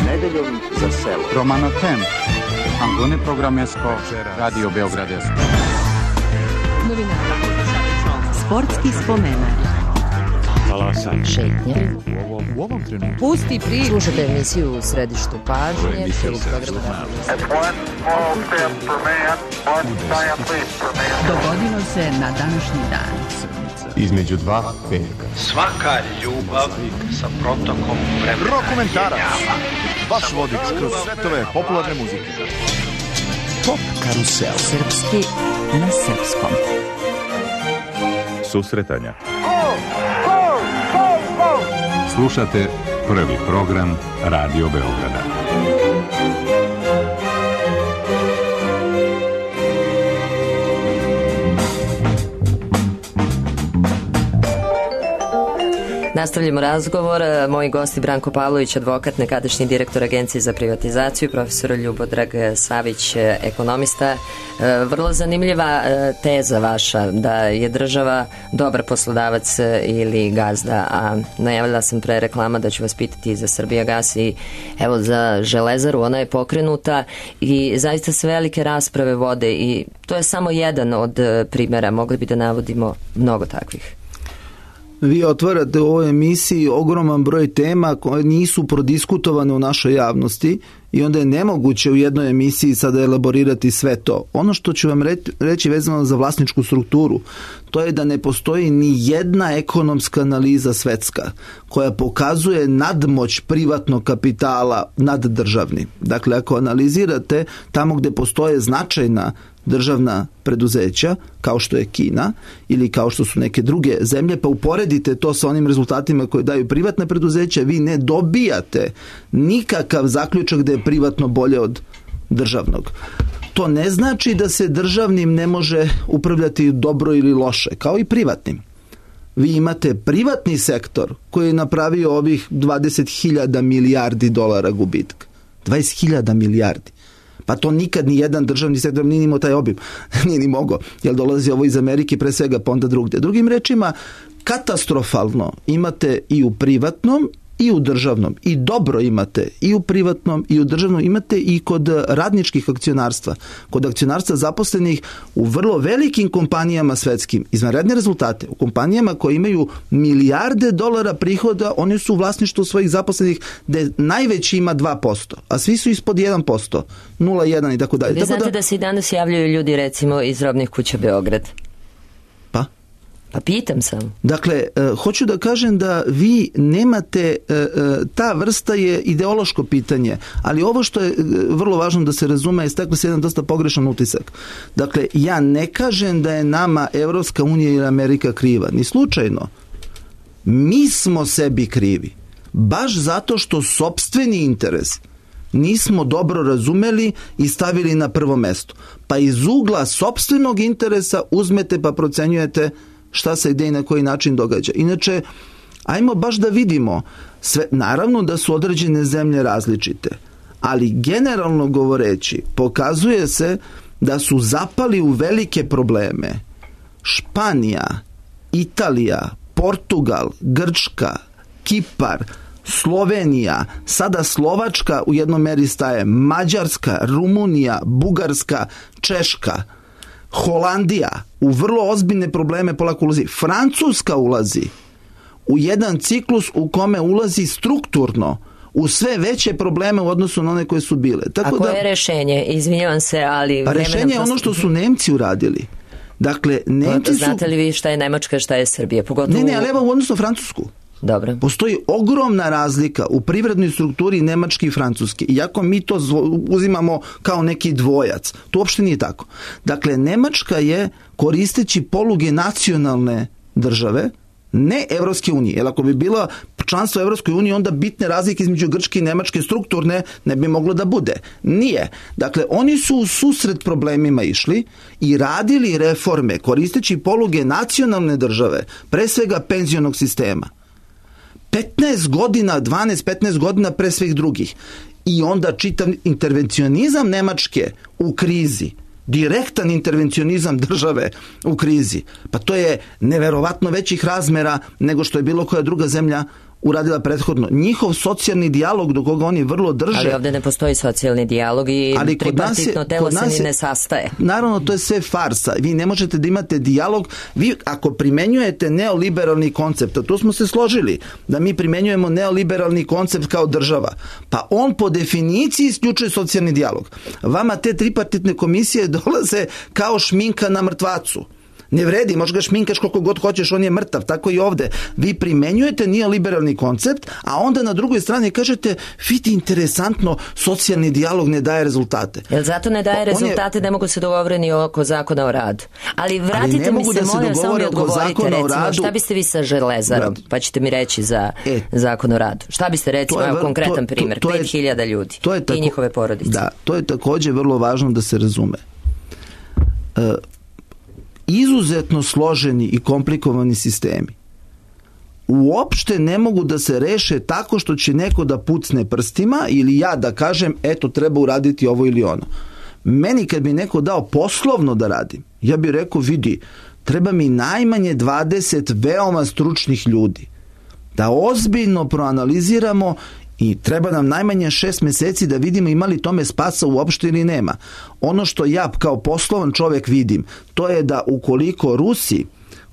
S8: Nedeljom za selo.
S9: Romano Tem. Angone Programesko. Radio Beogradesko.
S4: Sportski spomenak.
S9: Talasaj.
S2: Šetnja.
S9: U ovom, u ovom trenutku.
S4: Pusti priču.
S2: Slušate emisiju u središtu pažnje.
S4: Dogodilo se na današnji dan.
S9: Između dva petka.
S10: Svaka ljubav sa protokom vremena.
S11: Rokomentarac. Vaš vodič kroz svetove popularne muzike.
S7: Pop karusel.
S4: Srpski na srpskom.
S1: Susretanja. Slušate prvi program Radio Beograda.
S2: Nastavljamo razgovor. Moji gosti Branko Pavlović, advokat, nekadašnji direktor Agencije za privatizaciju, profesor Ljubodrag Savić, ekonomista. Vrlo zanimljiva teza vaša da je država dobar poslodavac ili gazda, a najavila sam pre reklama da ću vas pitati za Srbijagas i evo za Železaru, ona je pokrenuta i zaista sve velike rasprave vode i to je samo jedan od primjera, mogli bi da navodimo mnogo takvih.
S6: Vi otvarate u ovoj emisiji ogroman broj tema koje nisu prodiskutovane u našoj javnosti i onda je nemoguće u jednoj emisiji sada elaborirati sve to. Ono što ću vam reći vezano za vlasničku strukturu, to je da ne postoji ni jedna ekonomska analiza svetska koja pokazuje nadmoć privatnog kapitala nad državnim. Dakle, ako analizirate tamo gdje postoje značajna državna preduzeća, kao što je Kina ili kao što su neke druge zemlje, pa uporedite to sa onim rezultatima koje daju privatne preduzeća, vi ne dobijate nikakav zaključak da je privatno bolje od državnog. To ne znači da se državnim ne može upravljati dobro ili loše, kao i privatnim. Vi imate privatni sektor koji je napravio ovih dvadeset hiljada milijardi dolara gubitka. dvadeset hiljada milijardi. Pa to nikad ni jedan državni sektor nije imao taj obim. Nije ni mogao, jer dolazi ovo iz Amerike pre svega, pa onda drugdje. Drugim rečima, katastrofalno imate i u privatnom i u državnom. I dobro imate i u privatnom i u državnom. Imate i kod radničkih akcionarstva. Kod akcionarstva zaposlenih u vrlo velikim kompanijama svetskim. Izvanredne rezultate. U kompanijama koje imaju milijarde dolara prihoda, oni su u vlasništvu svojih zaposlenih gde najveći ima dva posto, a svi su ispod jedan posto. nula zarez jedan i tako dalje.
S2: Vi znate da se i danas javljaju ljudi recimo iz robnih kuća Beograd.
S6: Pa?
S2: Pa pitam sam.
S6: Dakle, uh, hoću da kažem da vi nemate, uh, uh, ta vrsta je ideološko pitanje, ali ovo što je uh, vrlo važno da se razume je steklo se jedan dosta pogrešan utisak. Dakle, ja ne kažem da je nama Evropska unija ili Amerika kriva, ni slučajno. Mi smo sebi krivi. Baš zato što sopstveni interes nismo dobro razumeli i stavili na prvo mesto. Pa iz ugla sopstvenog interesa uzmete pa procenjujete šta se gde i na koji način događa. Inače, ajmo baš da vidimo, sve, naravno da su određene zemlje različite, ali generalno govoreći, pokazuje se da su zapali u velike probleme Španija, Italija, Portugal, Grčka, Kipar, Slovenija, sada Slovačka u jednom meri staje, Mađarska, Rumunija, Bugarska, Češka, Holandija u vrlo ozbiljne probleme polako ulazi. Francuska ulazi u jedan ciklus u kome ulazi strukturno u sve veće probleme u odnosu na one koje su bile. Tako
S2: A koje
S6: da,
S2: je rešenje? Izvinjavam se, ali...
S6: Pa rešenje je ono što su Nemci uradili. Dakle, Nemci su...
S2: Znate li vi šta je Nemačka, šta je Srbija? Pogotovo...
S6: Ne, ne, ali evo u odnosu na Francusku.
S2: Dobro.
S6: Postoji ogromna razlika u privrednoj strukturi Nemačke i Francuske. Iako mi to uzimamo kao neki dvojac. To uopšte nije tako. Dakle, Nemačka je, koristeći poluge nacionalne države, ne Evropske unije. Jer ako bi bila članstvo Evropskoj uniji, onda bitne razlike između Grčke i Nemačke strukturne ne bi moglo da bude. Nije. Dakle, oni su u susret problemima išli i radili reforme koristeći poluge nacionalne države, pre svega penzionog sistema. petnaest godina, dvanaest petnaest godina pre svih drugih. I onda čitav intervencionizam Nemačke u krizi, direktan intervencionizam države u krizi, pa to je neverovatno većih razmera nego što je bilo koja druga zemlja uradila prethodno. Njihov socijalni dijalog do koga oni vrlo drže.
S2: Ali ovde ne postoji socijalni dijalog i ali tripartitno je, telo se ni ne sastaje.
S6: Naravno, to je sve farsa. Vi ne možete da imate dijalog. Vi ako primenjujete neoliberalni koncept, a tu smo se složili da mi primenjujemo neoliberalni koncept kao država, pa on po definiciji isključuje socijalni dijalog. Vama te tripartitne komisije dolaze kao šminka na mrtvacu. Ne vredi, možeš ga šminkaš koliko god hoćeš, on je mrtav, tako i ovde. Vi primenjujete neoliberalni koncept, a onda na drugoj strani kažete, vidi, interesantno, socijalni dijalog ne daje rezultate.
S2: Jel zato ne daje rezultate, je... ne mogu se dogovoriti oko zakona o radu? Ali vratite Ali mi se, da se molim, samo mi odgovorite, recimo, radu... šta biste vi sa Železarom, Brad. pa ćete mi reći za e, zakon o radu. Šta biste, recimo, evo konkretan to, primjer, pet hiljada ljudi to je tako, i njihove porodice.
S6: Da, to je takođe vrlo važno da se razume. Uh, izuzetno složeni i komplikovani sistemi uopšte ne mogu da se reše tako što će neko da pucne prstima ili ja da kažem eto treba uraditi ovo ili ono. Meni kad bi neko dao poslovno da radim, ja bih rekao vidi, treba mi najmanje dvadeset veoma stručnih ljudi da ozbiljno proanaliziramo i treba nam najmanje šest meseci da vidimo ima li tome spasa uopšte ili nema. Ono što ja kao poslovan čovjek vidim, to je da ukoliko Rusi,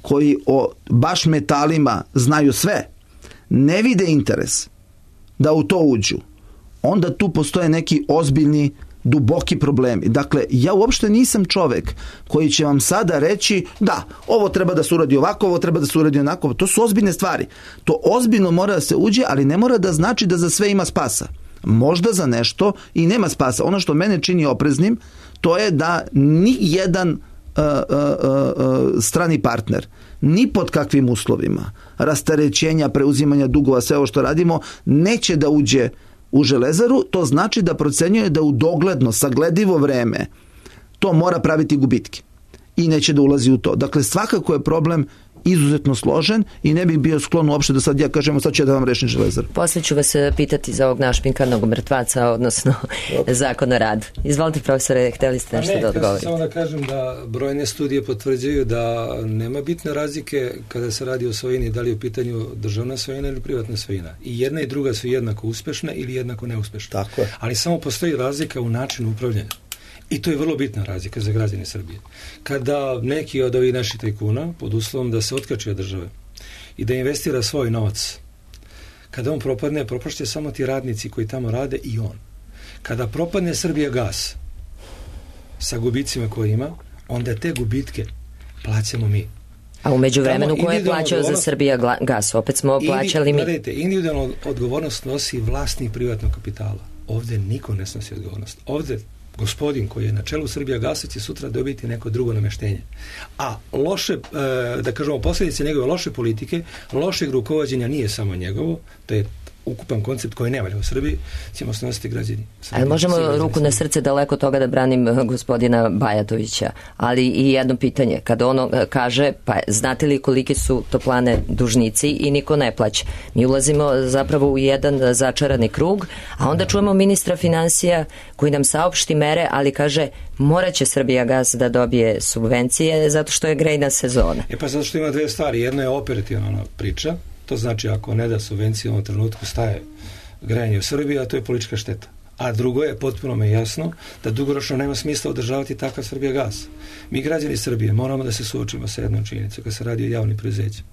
S6: koji o baš metalima znaju sve, ne vide interes da u to uđu, onda tu postoje neki ozbiljni duboki problemi. Dakle, ja uopšte nisam čovek koji će vam sada reći da, ovo treba da se uradi ovako, ovo treba da se uradi onako. To su ozbiljne stvari. To ozbiljno mora da se uđe, ali ne mora da znači da za sve ima spasa. Možda za nešto i nema spasa. Ono što mene čini opreznim, to je da ni jedan uh, uh, uh, strani partner, ni pod kakvim uslovima, rasterećenja, preuzimanja dugova, sve ovo što radimo, neće da uđe u Železaru. To znači da procenjuje da u dogledno, sagledivo vreme to mora praviti gubitke i neće da ulazi u to. Dakle, svakako je problem izuzetno složen i ne bih bio sklon uopšte da sad ja kažemo sad ću ja da vam rešim Železar.
S2: Poslije ću vas pitati za ovog našpinkarnog mrtvaca, odnosno zakon o radu. Izvolite, profesore, hteli ste nešto ne, da odgovorite.
S3: Samo da kažem da brojne studije potvrđuju da nema bitne razlike kada se radi o svojini, da li je u pitanju državna svojina ili privatna svojina. I jedna i druga su jednako uspešne ili jednako neuspešne.
S6: Tako je.
S3: Ali samo postoji razlika u načinu upravljanja. I to je vrlo bitna razlika za građane Srbije. Kada neki od ovih naših tajkuna, pod uslovom da se otkači od države i da investira svoj novac, kada on propadne, propašće samo ti radnici koji tamo rade i on. Kada propadne Srbijagas sa gubicima koje ima, onda te gubitke plaćamo mi.
S2: A u međuvremenu ko je plaćao za Srbijagas? Opet smo plaćali mi.
S3: Gledajte, individualnu odgovornost nosi vlasnik privatnog kapitala. Ovde niko ne snosi odgovornost. Ovde gospodin koji je na čelu Srbijagasa će sutra dobiti neko drugo nameštenje. A loše, da kažemo, posljedice njegove loše politike, lošeg rukovođenja nije samo njegovo, to je ukupan koncept koji ne valja u Srbiji, ćemo snositi građani.
S2: Ali možemo ruku na srce daleko toga da branim gospodina Bajatovića, ali i jedno pitanje, kada ono kaže, pa znate li koliki su toplane dužnici i niko ne plaća. Mi ulazimo zapravo u jedan začarani krug, a onda čujemo ministra finansija koji nam saopšti mere, ali kaže morat će Srbijagas da dobije subvencije zato što je grejna sezona.
S3: E pa zato što ima dve stvari, jedno je operativna priča. To znači ako ne da subvencije u ovom trenutku staje grejanje u Srbiji, a to je politička šteta. A drugo je, potpuno me jasno, da dugoročno nema smisla održavati takav Srbijagas. Mi građani Srbije moramo da se suočimo sa jednom činjenicom kad se radi o javnim preduzećima.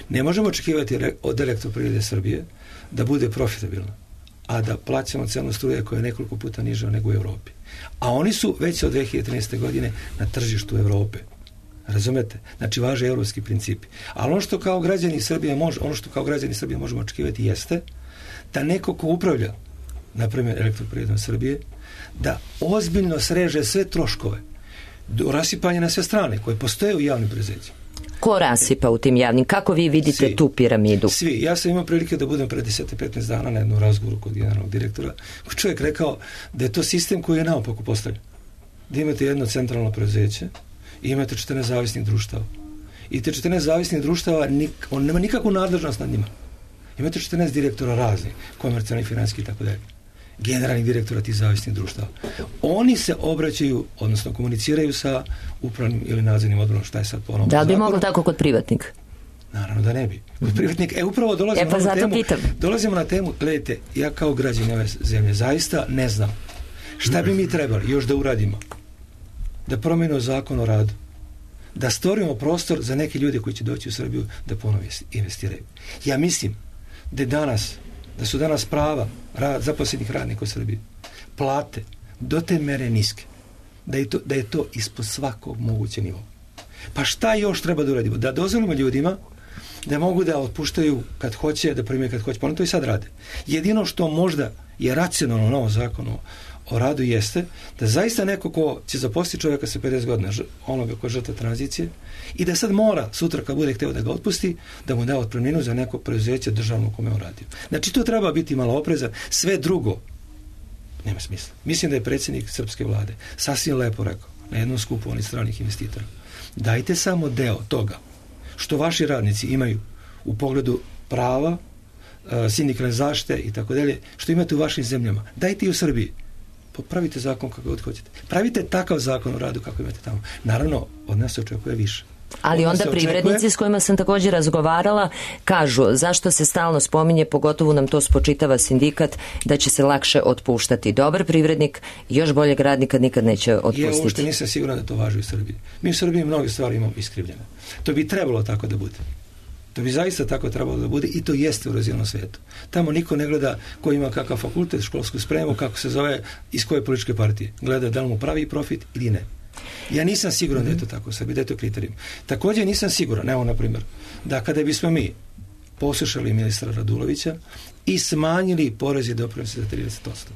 S3: Ne možemo očekivati od Elektroprivrede Srbije da bude profitabilna, a da plaćamo cenu struje koja je nekoliko puta niža nego u Evropi. A oni su već od dve hiljade trinaeste. godine na tržištu Evrope. Razumete? Znači, važe evropski principi. Ali ono što kao građani Srbije može, ono što kao građani Srbije možemo očekivati jeste da neko ko upravlja, na primjer Elektroprivredom Srbije, da ozbiljno sreže sve troškove do rasipanja na sve strane koje postoje u javnim preduzećima.
S2: Ko rasipa u tim javnim? Kako vi vidite svi, tu piramidu?
S3: Svi. Ja sam imao prilike da budem pre deset do petnaest dana na jednom razgovoru kod generalnog direktora. Čovjek rekao da je to sistem koji je naopako postavljen. Da imate jedno centralno preduzeće i imate četrnaest zavisnih društava. I te četrnaest zavisnih društava, nik, on nema nikakvu nadležnost nad njima. Imate četrnaest direktora raznih, komercijalnih, financijskih i tako dalje. Generalnih direktora tih zavisnih društava. Oni se obraćaju, odnosno komuniciraju sa upravnim ili nadzornim odborom, šta je sad po onom
S2: Da li bi
S3: zakonu.
S2: moglo tako kod privatnika?
S3: Naravno da ne bi. Kod privatnika, e upravo dolazimo,
S2: e, pa
S3: na temu,
S2: pitam.
S3: dolazimo na temu, gledajte, ja kao građanin ove zemlje zaista ne znam šta bi mi trebali još da uradimo. Da promenimo zakon o radu. Da stvorimo prostor za neke ljude koji će doći u Srbiju da ponovo investiraju. Ja mislim da je danas, da su danas prava rad, zaposlenih radnika u Srbiji, plate do te mere niske, da je to, da je to ispod svakog mogućeg nivoa. Pa šta još treba da uradimo? Da dozvolimo ljudima da mogu da otpuštaju kad hoće, da primaju kad hoće, pa oni to i sad rade. Jedino što možda je racionalno u novom zakonu o radu jeste da zaista neko ko će zaposliti čovjeka sa pedeset godina, onoga ko je žrtva tranzicije, i da sad mora, sutra kad bude hteo da ga otpusti, da mu da otpremninu za neko preduzeće državno kome on radio. Znači to treba biti malo oprezan, sve drugo nema smisla. Mislim da je predsjednik srpske vlade sasvim lepo rekao na jednom skupu onih stranih investitora: dajte samo deo toga što vaši radnici imaju u pogledu prava, sindikalne zaštite i tako dalje, što imate u vašim zemljama, dajte i u Srbiji. Pravite zakon kako god hoćete. Pravite takav zakon o radu kako imate tamo. Naravno, od nas se očekuje više.
S2: Ali onda privrednici očekuje... s kojima sam također razgovarala kažu zašto se stalno spominje, pogotovo nam to spočitava sindikat, da će se lakše otpuštati. Dobar privrednik još boljeg radnika nikad neće otpustiti.
S3: Ja uopšte nisam siguran da to važi u Srbiji. Mi u Srbiji mnoge stvari imamo iskrivljene. To bi trebalo tako da bude. To bi zaista tako trebalo da bude i to jeste u razvijenom svijetu. Tamo niko ne gleda ko ima kakav fakultet, školsku spremu, kako se zove, iz koje političke partije. Gleda da li mu pravi profit ili ne. Ja nisam siguran da je to tako u Srbiji, da je to kriterijum. Također nisam siguran, evo na primjer, da kada bismo mi poslušali ministra Radulovića i smanjili porez i doprinose za trideset posto,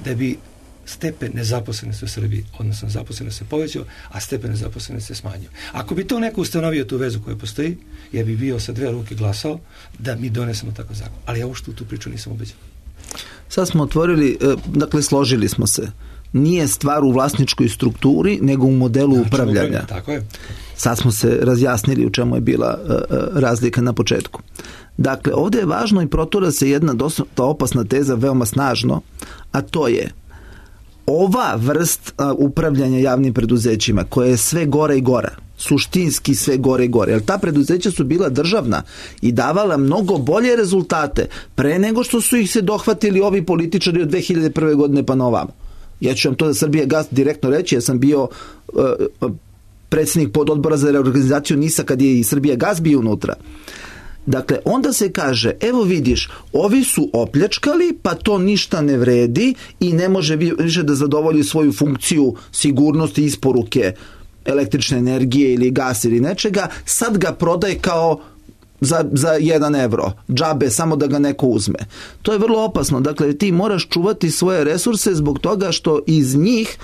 S3: da bi stepen nezaposlenosti u Srbiji, odnosno zaposlenost se povećao, a stepen nezaposlenosti se smanjio. Ako bi to neko ustanovio tu vezu koja postoji, ja bi bio sa dve ruke glasao da mi donesemo takav zakon. Ali ja uopšte u tu priču nisam ubeđen.
S6: Sad smo otvorili, dakle složili smo se. Nije stvar u vlasničkoj strukturi, nego u modelu znači, upravljanja.
S3: Tako je.
S6: Sad smo se razjasnili u čemu je bila uh, razlika na početku. Dakle, ovdje je važno i protura se jedna dosta opasna teza veoma snažno, a to je ova vrst uh, upravljanja javnim preduzećima koja je sve gore i gora, suštinski sve gore i gore, jer ta preduzeća su bila državna i davala mnogo bolje rezultate pre nego što su ih se dohvatili ovi političari od dve hiljade prve godine pa na ovamo. Ja ću vam to da Srbija Gas direktno reći, ja sam bio uh, predsjednik pododbora za reorganizaciju NIS-a kad je i Srbija Gas bio unutra. Dakle, onda se kaže, evo vidiš, ovi su opljačkali, pa to ništa ne vredi i ne može više da zadovolji svoju funkciju sigurnosti isporuke električne energije ili gas ili nečega, sad ga prodaj kao za, za jedan evro, džabe, samo da ga neko uzme. To je vrlo opasno. Dakle, ti moraš čuvati svoje resurse zbog toga što iz njih,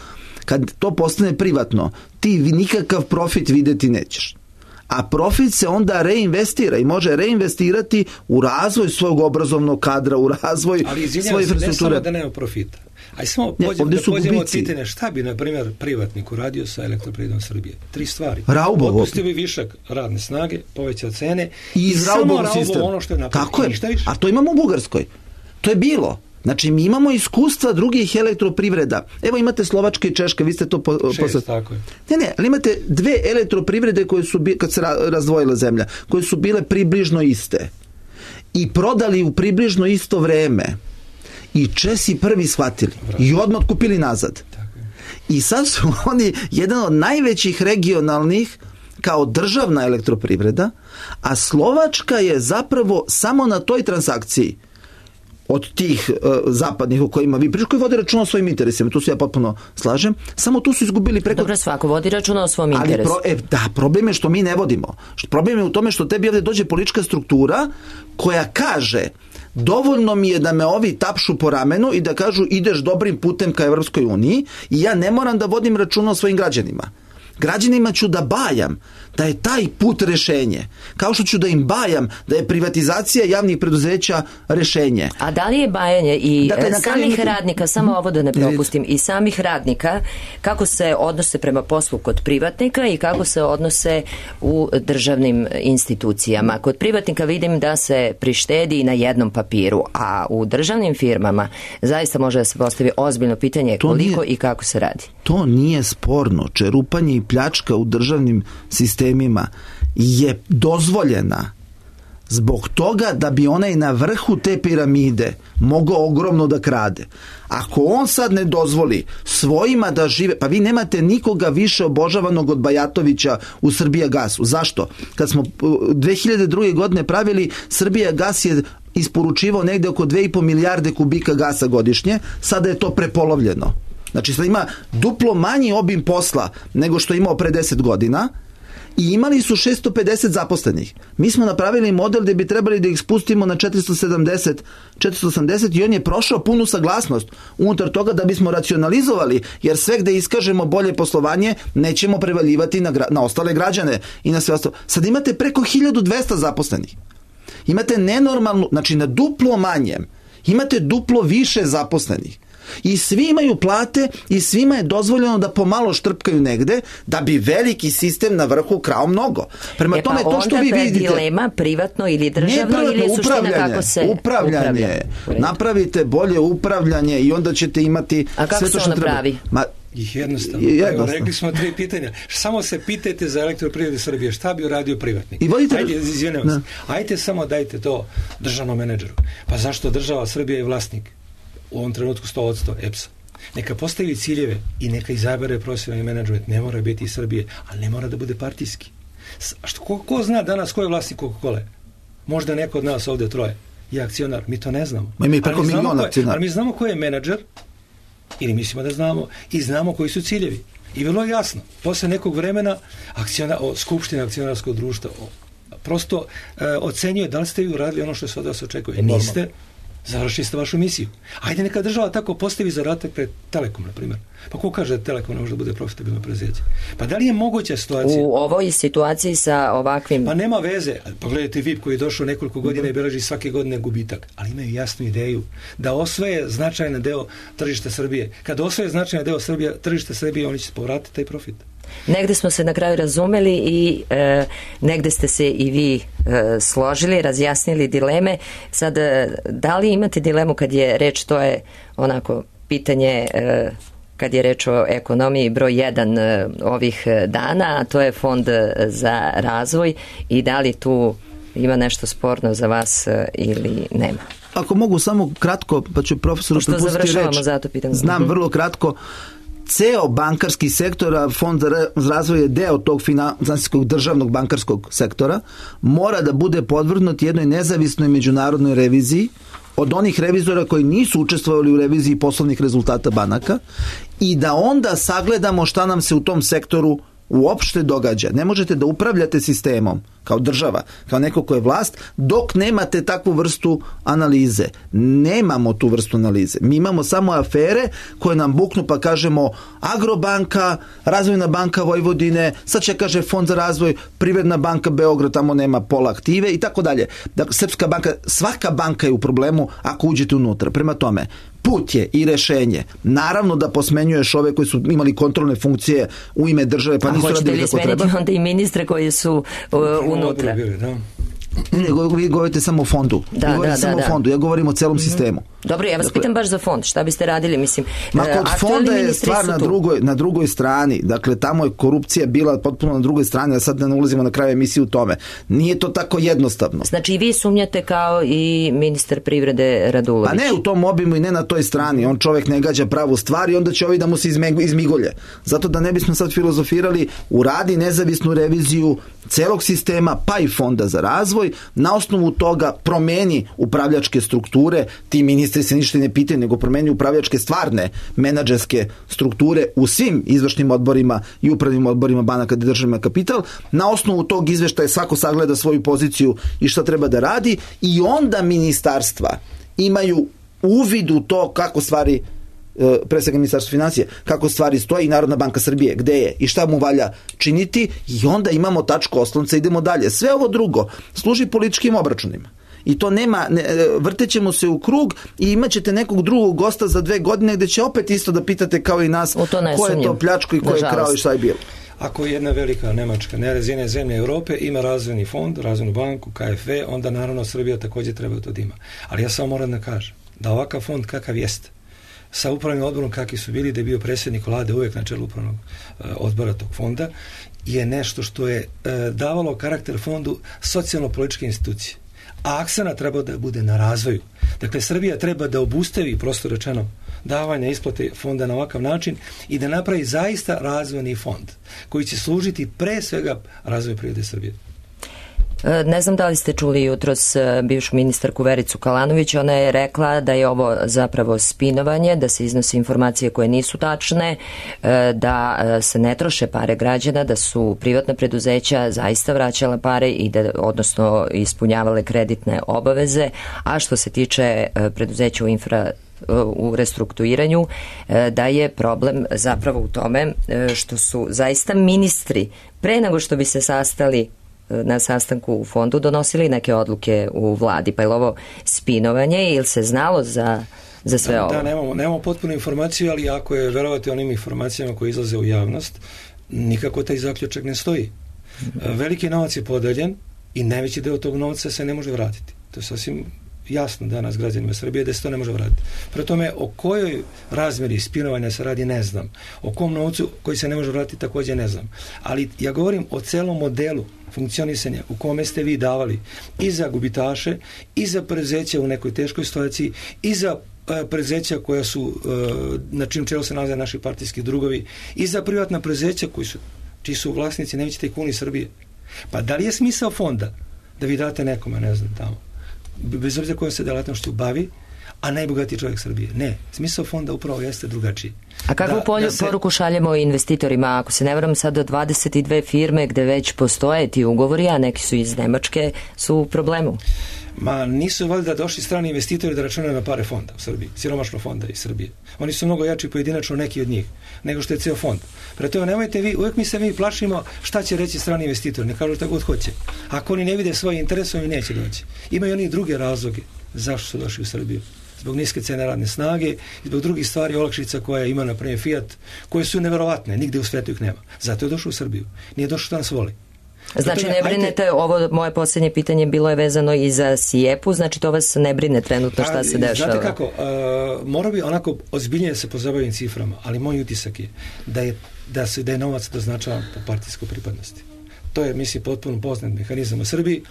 S6: kad to postane privatno, ti nikakav profit videti nećeš. A profit se onda reinvestira i može reinvestirati u razvoj svog obrazovnog kadra, u razvoj svoje infrastrukture. Ali ne samo da nema profita. Aj samo pođemo da pođemo od pitanja šta bi, na primjer, privatnik uradio sa Elektroprivredom Srbije. Tri stvari. Raubovo.
S3: Otpustio bi višak radne snage, povećao cene
S6: i,
S3: i samo raubovo ono što je napravio.
S6: Tako je. A to imamo u Bugarskoj. To je bilo. Znači, mi imamo iskustva drugih elektroprivreda. Evo imate Slovačka i Češka, vi ste to po,
S3: Šest,
S6: posle...
S3: tako je.
S6: Ne, ne, ali imate dve elektroprivrede koje su, kad se razdvojila zemlja, koje su bile približno iste. I prodali u približno isto vreme. I Česi prvi shvatili. Bravo. I odmah kupili nazad. Tako je. I sad su oni jedan od najvećih regionalnih kao državna elektroprivreda, a Slovačka je zapravo samo na toj transakciji od tih uh, zapadnih o kojima vi pričate, koji vode računa o svojim interesima, tu se ja potpuno slažem, samo tu su izgubili preko...
S2: Dobro, svako vodi računa o svom interesu.
S6: Pro, e, da, problem je što mi ne vodimo. Problem je u tome što tebi ovdje dođe politička struktura koja kaže dovoljno mi je da me ovi tapšu po ramenu i da kažu ideš dobrim putem ka Evropskoj uniji i ja ne moram da vodim računa o svojim građanima. Građanima ću da bajam da je taj put rešenje. Kao što ću da im bajam da je privatizacija javnih preduzeća rešenje.
S2: A da li je bajanje i dakle, samih kraju... radnika, samo ovo da ne propustim, i samih radnika, kako se odnose prema poslu kod privatnika i kako se odnose u državnim institucijama. Kod privatnika vidim da se prištedi na jednom papiru, a u državnim firmama zaista može da se postavi ozbiljno pitanje to koliko nije, i kako se radi.
S6: To nije sporno. Čerupanje i pljačka u državnim sistemima je dozvoljena Zbog toga da bi onaj na vrhu te piramide mogao ogromno da krade. Ako on sad ne dozvoli svojima da žive, pa vi nemate nikoga više obožavanog od Bajatovića u Srbijagasu. Zašto? Kad smo dve hiljade druge. godine pravili, Srbijagas je isporučivao negde oko dve i po milijarde kubika gasa godišnje, sada je to prepolovljeno. Znači sad ima duplo manji obim posla nego što je imao pre deset godina i imali su šesto pedeset zaposlenih. Mi smo napravili model gde bi trebali da ih spustimo na četiristo sedamdeset, četiristo osamdeset i on je prošao punu saglasnost unutar toga da bismo racionalizovali, jer sve gde iskažemo bolje poslovanje nećemo prevaljivati na, na ostale građane i na sve ostalo. Sad imate preko hiljadu dvesta zaposlenih. Imate nenormalnu, znači na duplo manjem, imate duplo više zaposlenih. I svi imaju plate i svima je dozvoljeno da pomalo štrpkaju negde da bi veliki sistem na vrhu krao mnogo. Prema
S2: e
S6: tome,
S2: pa
S6: to što vi vidite...
S2: dilema privatno ili državno ili je suština kako se
S6: upravljanje.
S2: upravlja?
S6: Napravite bolje upravljanje i onda ćete imati...
S2: A kako
S6: sve
S2: se
S6: to što
S2: ono
S6: treba.
S2: pravi?
S6: Ma,
S3: Ih jednostavno. Evo, rekli smo tri pitanja. Samo se pitajte za Elektroprivredu Srbije, šta bi uradio privatnik?
S6: I vodite...
S3: Ajde, izvijem se. Ajde samo dajte to državnom menadžeru. Pa zašto država Srbija je vlasnik? U ovom trenutku sto posto E P S-a. Neka postavi ciljeve i neka izabere profesionalni menadžment. Ne mora biti iz Srbije, ali ne mora da bude partijski. Što, ko, ko zna danas ko je vlasnik Coca-Cola? Možda neko od nas ovde troje je akcionar. Mi to ne znamo.
S6: Ma ima preko miliona akcionara.
S3: Ali mi znamo ko je menadžer, ili mislimo da znamo, i znamo koji su ciljevi. I vrlo jasno, posle nekog vremena akciona, o, Skupština akcionarskog društva o, prosto e, ocenjuje da li ste vi uradili ono što se od vas očekuje. Niste, završili ste vašu misiju. Ajde neka država tako postavi zadatak pred Telekom, na primjer. Pa ko kaže da Telekom ne može da bude profitabilno preduzeće? Pa da li je moguća situacija?
S2: U ovoj situaciji sa ovakvim...
S3: Pa nema veze. Pogledajte V I P koji je došao nekoliko godina i beleži svake godine gubitak. Ali imaju jasnu ideju da osvoje značajan deo tržišta Srbije. Kada osvoje značajan deo Srbije, tržišta Srbije, oni će povratiti taj profit.
S2: Negde smo se na kraju razumeli i e, negde ste se i vi e, složili, razjasnili dileme. Sad, e, da li imate dilemu kad je reč, to je onako pitanje... E, kad je reč o ekonomiji broj jedan e, ovih dana, a to je Fond za razvoj, i da li tu ima nešto sporno za vas e, ili nema?
S6: Ako mogu samo kratko, pa ću profesoru prepustiti reč.
S2: Zato pitam.
S6: Znam
S2: uh-huh.
S6: vrlo kratko. Ceo bankarski sektor, a Fond za razvoj je deo tog finansijskog državnog bankarskog sektora, mora da bude podvrgnut jednoj nezavisnoj međunarodnoj reviziji od onih revizora koji nisu učestvovali u reviziji poslovnih rezultata banaka i da onda sagledamo šta nam se u tom sektoru uopšte događa. Ne možete da upravljate sistemom kao država, kao neko ko je vlast, dok nemate takvu vrstu analize. Nemamo tu vrstu analize. Mi imamo samo afere koje nam buknu pa kažemo Agrobanka, Razvojna banka Vojvodine, sad će kaže Fond za razvoj, Privredna banka Beograd, tamo nema pola aktive i tako dalje. Dakle, Srpska banka, svaka banka je u problemu ako uđete unutra. Prema tome, put je i rešenje. Naravno da posmenjuješ ove koji su imali kontrolne funkcije u ime države, pa
S2: a
S6: nisu radili kako treba. A hoćete li smeniti
S2: onda i ministre koji su uh, unutra?
S6: Ne, ne, vi govorite samo o fondu.
S2: Da,
S6: vi govorite
S2: da,
S6: samo
S2: da,
S6: o fondu. Ja govorim o celom mm-hmm. sistemu.
S2: Dobro, ja vas dakle, pitam baš za fond. Šta biste radili? Mislim,
S6: ma kod fonda je stvar na drugoj, na drugoj strani. Dakle, tamo je korupcija bila potpuno na drugoj strani, a sad ne ulazimo na kraju emisije u tome. Nije to tako jednostavno.
S2: Znači i vi sumnjate kao i ministar privrede Radulović?
S6: Pa ne u tom obimu i ne na toj strani. On čovjek ne gađa pravu stvar i onda će ovi da mu se izmigolje. Zato da ne bismo sad filozofirali, uradi nezavisnu reviziju celog sistema, pa i Fonda za razvoj, na osnovu toga promeni upravljačke strukture, ti ministri se ništa ne pitaju, nego promeni upravljačke stvarne menadžerske strukture u svim izvršnim odborima i upravnim odborima banaka gde državima kapital. Na osnovu tog izveštaja svako sagleda svoju poziciju i šta treba da radi i onda ministarstva imaju uvid u to kako stvari, pre svega ministarstvo financije, kako stvari stoji i Narodna banka Srbije, gde je i šta mu valja činiti i onda imamo tačku oslonca i idemo dalje. Sve ovo drugo služi političkim obračunima. I to nema, ne, vrtećemo se u krug i imat ćete nekog drugog gosta za dve godine gde će opet isto da pitate kao i nas ko je to pljačko i ko je krao i šta je bilo.
S3: Ako jedna velika Nemačka, nerazvijene zemlje Europe ima razvojni fond, razvojnu banku, K F E, onda naravno Srbija također treba to da ima. Ali ja samo moram da kažem da ovakav fond kakav jeste, sa upravnim odborom kakvi su bili, da je bio predsjednik vlade uvijek na čelu upravnog e, odbora tog fonda, je nešto što je e, davalo karakter fondu socijalno-političke institucije. a akcenat treba da bude na razvoju. Dakle, Srbija treba da obustavi, prosto rečeno, davanja isplate fonda na ovakav način i da napravi zaista razvojni fond koji će služiti pre svega razvoju privrede Srbije.
S2: Ne znam da li ste čuli jutros bivšu ministarku Vericu Kalanović, ona je rekla da je ovo zapravo spinovanje, da se iznose informacije koje nisu tačne, da se ne troše pare građana, da su privatna preduzeća zaista vraćala pare i da, odnosno ispunjavale kreditne obaveze, a što se tiče preduzeća u infra u restrukturiranju, da je problem zapravo u tome što su zaista ministri pre nego što bi se sastali na sastanku u fondu donosili neke odluke u vladi, pa je li ovo spinovanje ili se znalo za, za sve
S3: da,
S2: ovo?
S3: Da, nemamo, nemamo potpunu informaciju, ali ako je verovati onim informacijama koje izlaze u javnost, nikako taj zaključak ne stoji. Mm-hmm. Veliki novac je podeljen i najveći deo tog novca se ne može vratiti. To je sasvim jasno danas građanima Srbije da se to ne može vratiti. Pre tome, o kojoj razmeri spinovanja se radi, ne znam. O kom novcu koji se ne može vratiti, također ne znam. Ali ja govorim o celom modelu funkcionisanja u kome ste vi davali i za gubitaše, i za preduzeća u nekoj teškoj situaciji, i za preduzeća koja su, na čim čelu se nalaze naši partijski drugovi, i za privatna preduzeća koji su, čiji su vlasnici najveći tajkuni Srbije. Pa da li je smisao fonda da vi date nekome, ne znam, tamo, bez obzira kojom se delatnošću bavi, a najbogatiji čovjek Srbije? Ne. Smisao fonda upravo jeste drugačiji.
S2: A kakvu
S3: da,
S2: polju,
S3: da se... poruku
S2: šaljemo investitorima? Ako se ne varam, sad do dvadeset dve firme gde već postoje ti ugovori, a neki su iz Nemačke, su u problemu.
S3: Ma nisu valjda došli strani investitori da računaju na pare fonda u Srbiji, siromašno fonda iz Srbije. Oni su mnogo jači pojedinačno, neki od njih, nego što je ceo fond. Pre toga nemojte vi, uvijek mi se mi plašimo šta će reći strani investitori, ne kažu šta god hoće. Ako oni ne vide svoje interese, oni neće doći. Imaju oni druge razloge zašto su došli u Srbiju. Zbog niske cene radne snage i zbog drugih stvari, olakšica koje ima, na primjer, Fiat, koje su neverovatne, nigde u svetu ih nema. Zato je došao u Srbiju. Nije došao da nas voli.
S2: Znači ne brinete, ovo moje posljednje pitanje bilo je vezano i za Sijepu, znači to vas ne brine trenutno šta se dešava?
S3: Znate kako, uh, mora bi onako ozbiljnije se pozabavim ciframa, ali moj utisak je da je, da se, da je novac doznačavan po partijskoj pripadnosti. To je, mislim, potpuno poznat mehanizam u Srbiji.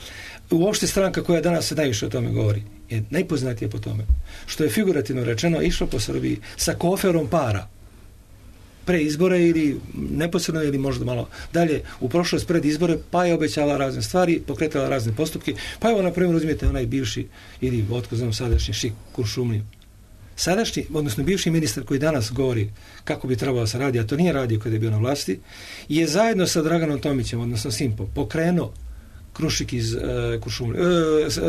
S3: Uopšte stranka koja danas se najviše o tome govori je najpoznatija po tome, što je figurativno rečeno išlo po Srbiji sa koferom para pre izbore ili neposredno ili možda malo dalje u prošlost pred izbore, pa je obećala razne stvari, pokretala razne postupke, pa evo na primjer uzmite onaj bivši ili otko znam sadašnji Šik Kuršumliju. Sadašnji, odnosno bivši ministar koji danas govori kako bi trebalo se radi, a to nije radio kada je bio na vlasti, je zajedno sa Draganom Tomićem, odnosno Simpom, pokrenuo Krušik iz uh, Kuršumlije, uh, uh,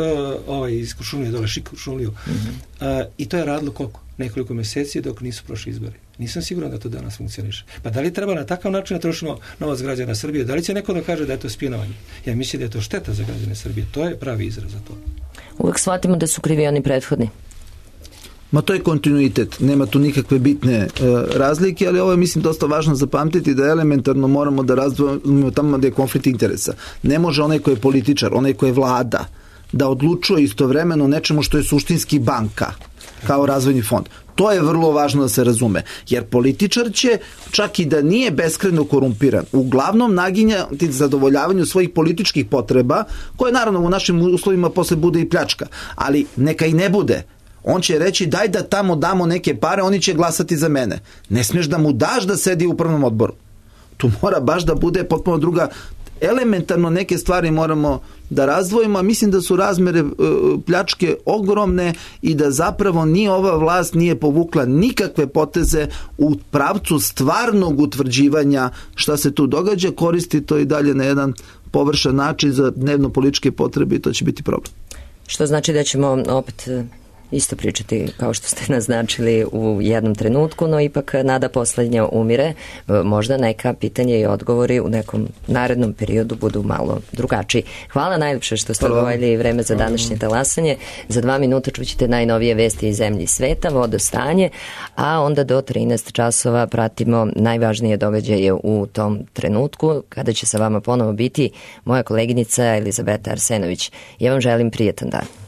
S3: ovaj iz Kuršumlije dole, Šik Kuršumliju. Mm-hmm. Uh, I to je radilo koliko? Nekoliko mjeseci dok nisu prošli izbori. Nisam siguran da to danas funkcioniše. Pa da li treba na takav način da trošimo novac građana Srbije? Da li će neko da kaže da je to spinovanje? Ja mislim da je to šteta za građane Srbije. To je pravi izraz za to.
S2: Uvijek shvatimo da su krivi oni prethodni.
S6: Ma to je kontinuitet, nema tu nikakve bitne e, razlike, ali ovo je, mislim, dosta važno zapamtiti da elementarno moramo da razdvojimo tamo gdje je konflikt interesa. Ne može onaj koji je političar, onaj koji je vlada, da odlučuje istovremeno nečemu što je suštinski banka, kao razvojni fond. To je vrlo važno da se razume, jer političar će, čak i da nije beskrajno korumpiran, uglavnom naginjati zadovoljavanju svojih političkih potreba, koje naravno u našim uslovima posle bude i pljačka, ali neka i ne bude. On će reći daj da tamo damo neke pare, oni će glasati za mene. Ne smiješ da mu daš da sedi u upravnom odboru. Tu mora baš da bude potpuno druga. Elementarno neke stvari moramo da razdvojimo, a mislim da su razmere e, pljačke ogromne i da zapravo ni ova vlast nije povukla nikakve poteze u pravcu stvarnog utvrđivanja šta se tu događa, koristi to i dalje na jedan površan način za dnevno političke potrebe i to će biti problem.
S2: Što znači da ćemo opet isto pričati kao što ste naznačili u jednom trenutku, no ipak nada posljednja umire. Možda neka pitanja i odgovori u nekom narednom periodu budu malo drugačiji. Hvala najljepše što ste odvojili vreme za današnje talasanje. Za dva minuta čućete najnovije vesti iz zemlje i sveta, vodostanje, a onda do trinaest časova pratimo najvažnije događaje u tom trenutku, kada će sa vama ponovo biti moja koleginica Elizabeta Arsenović. Ja vam želim prijetan dan.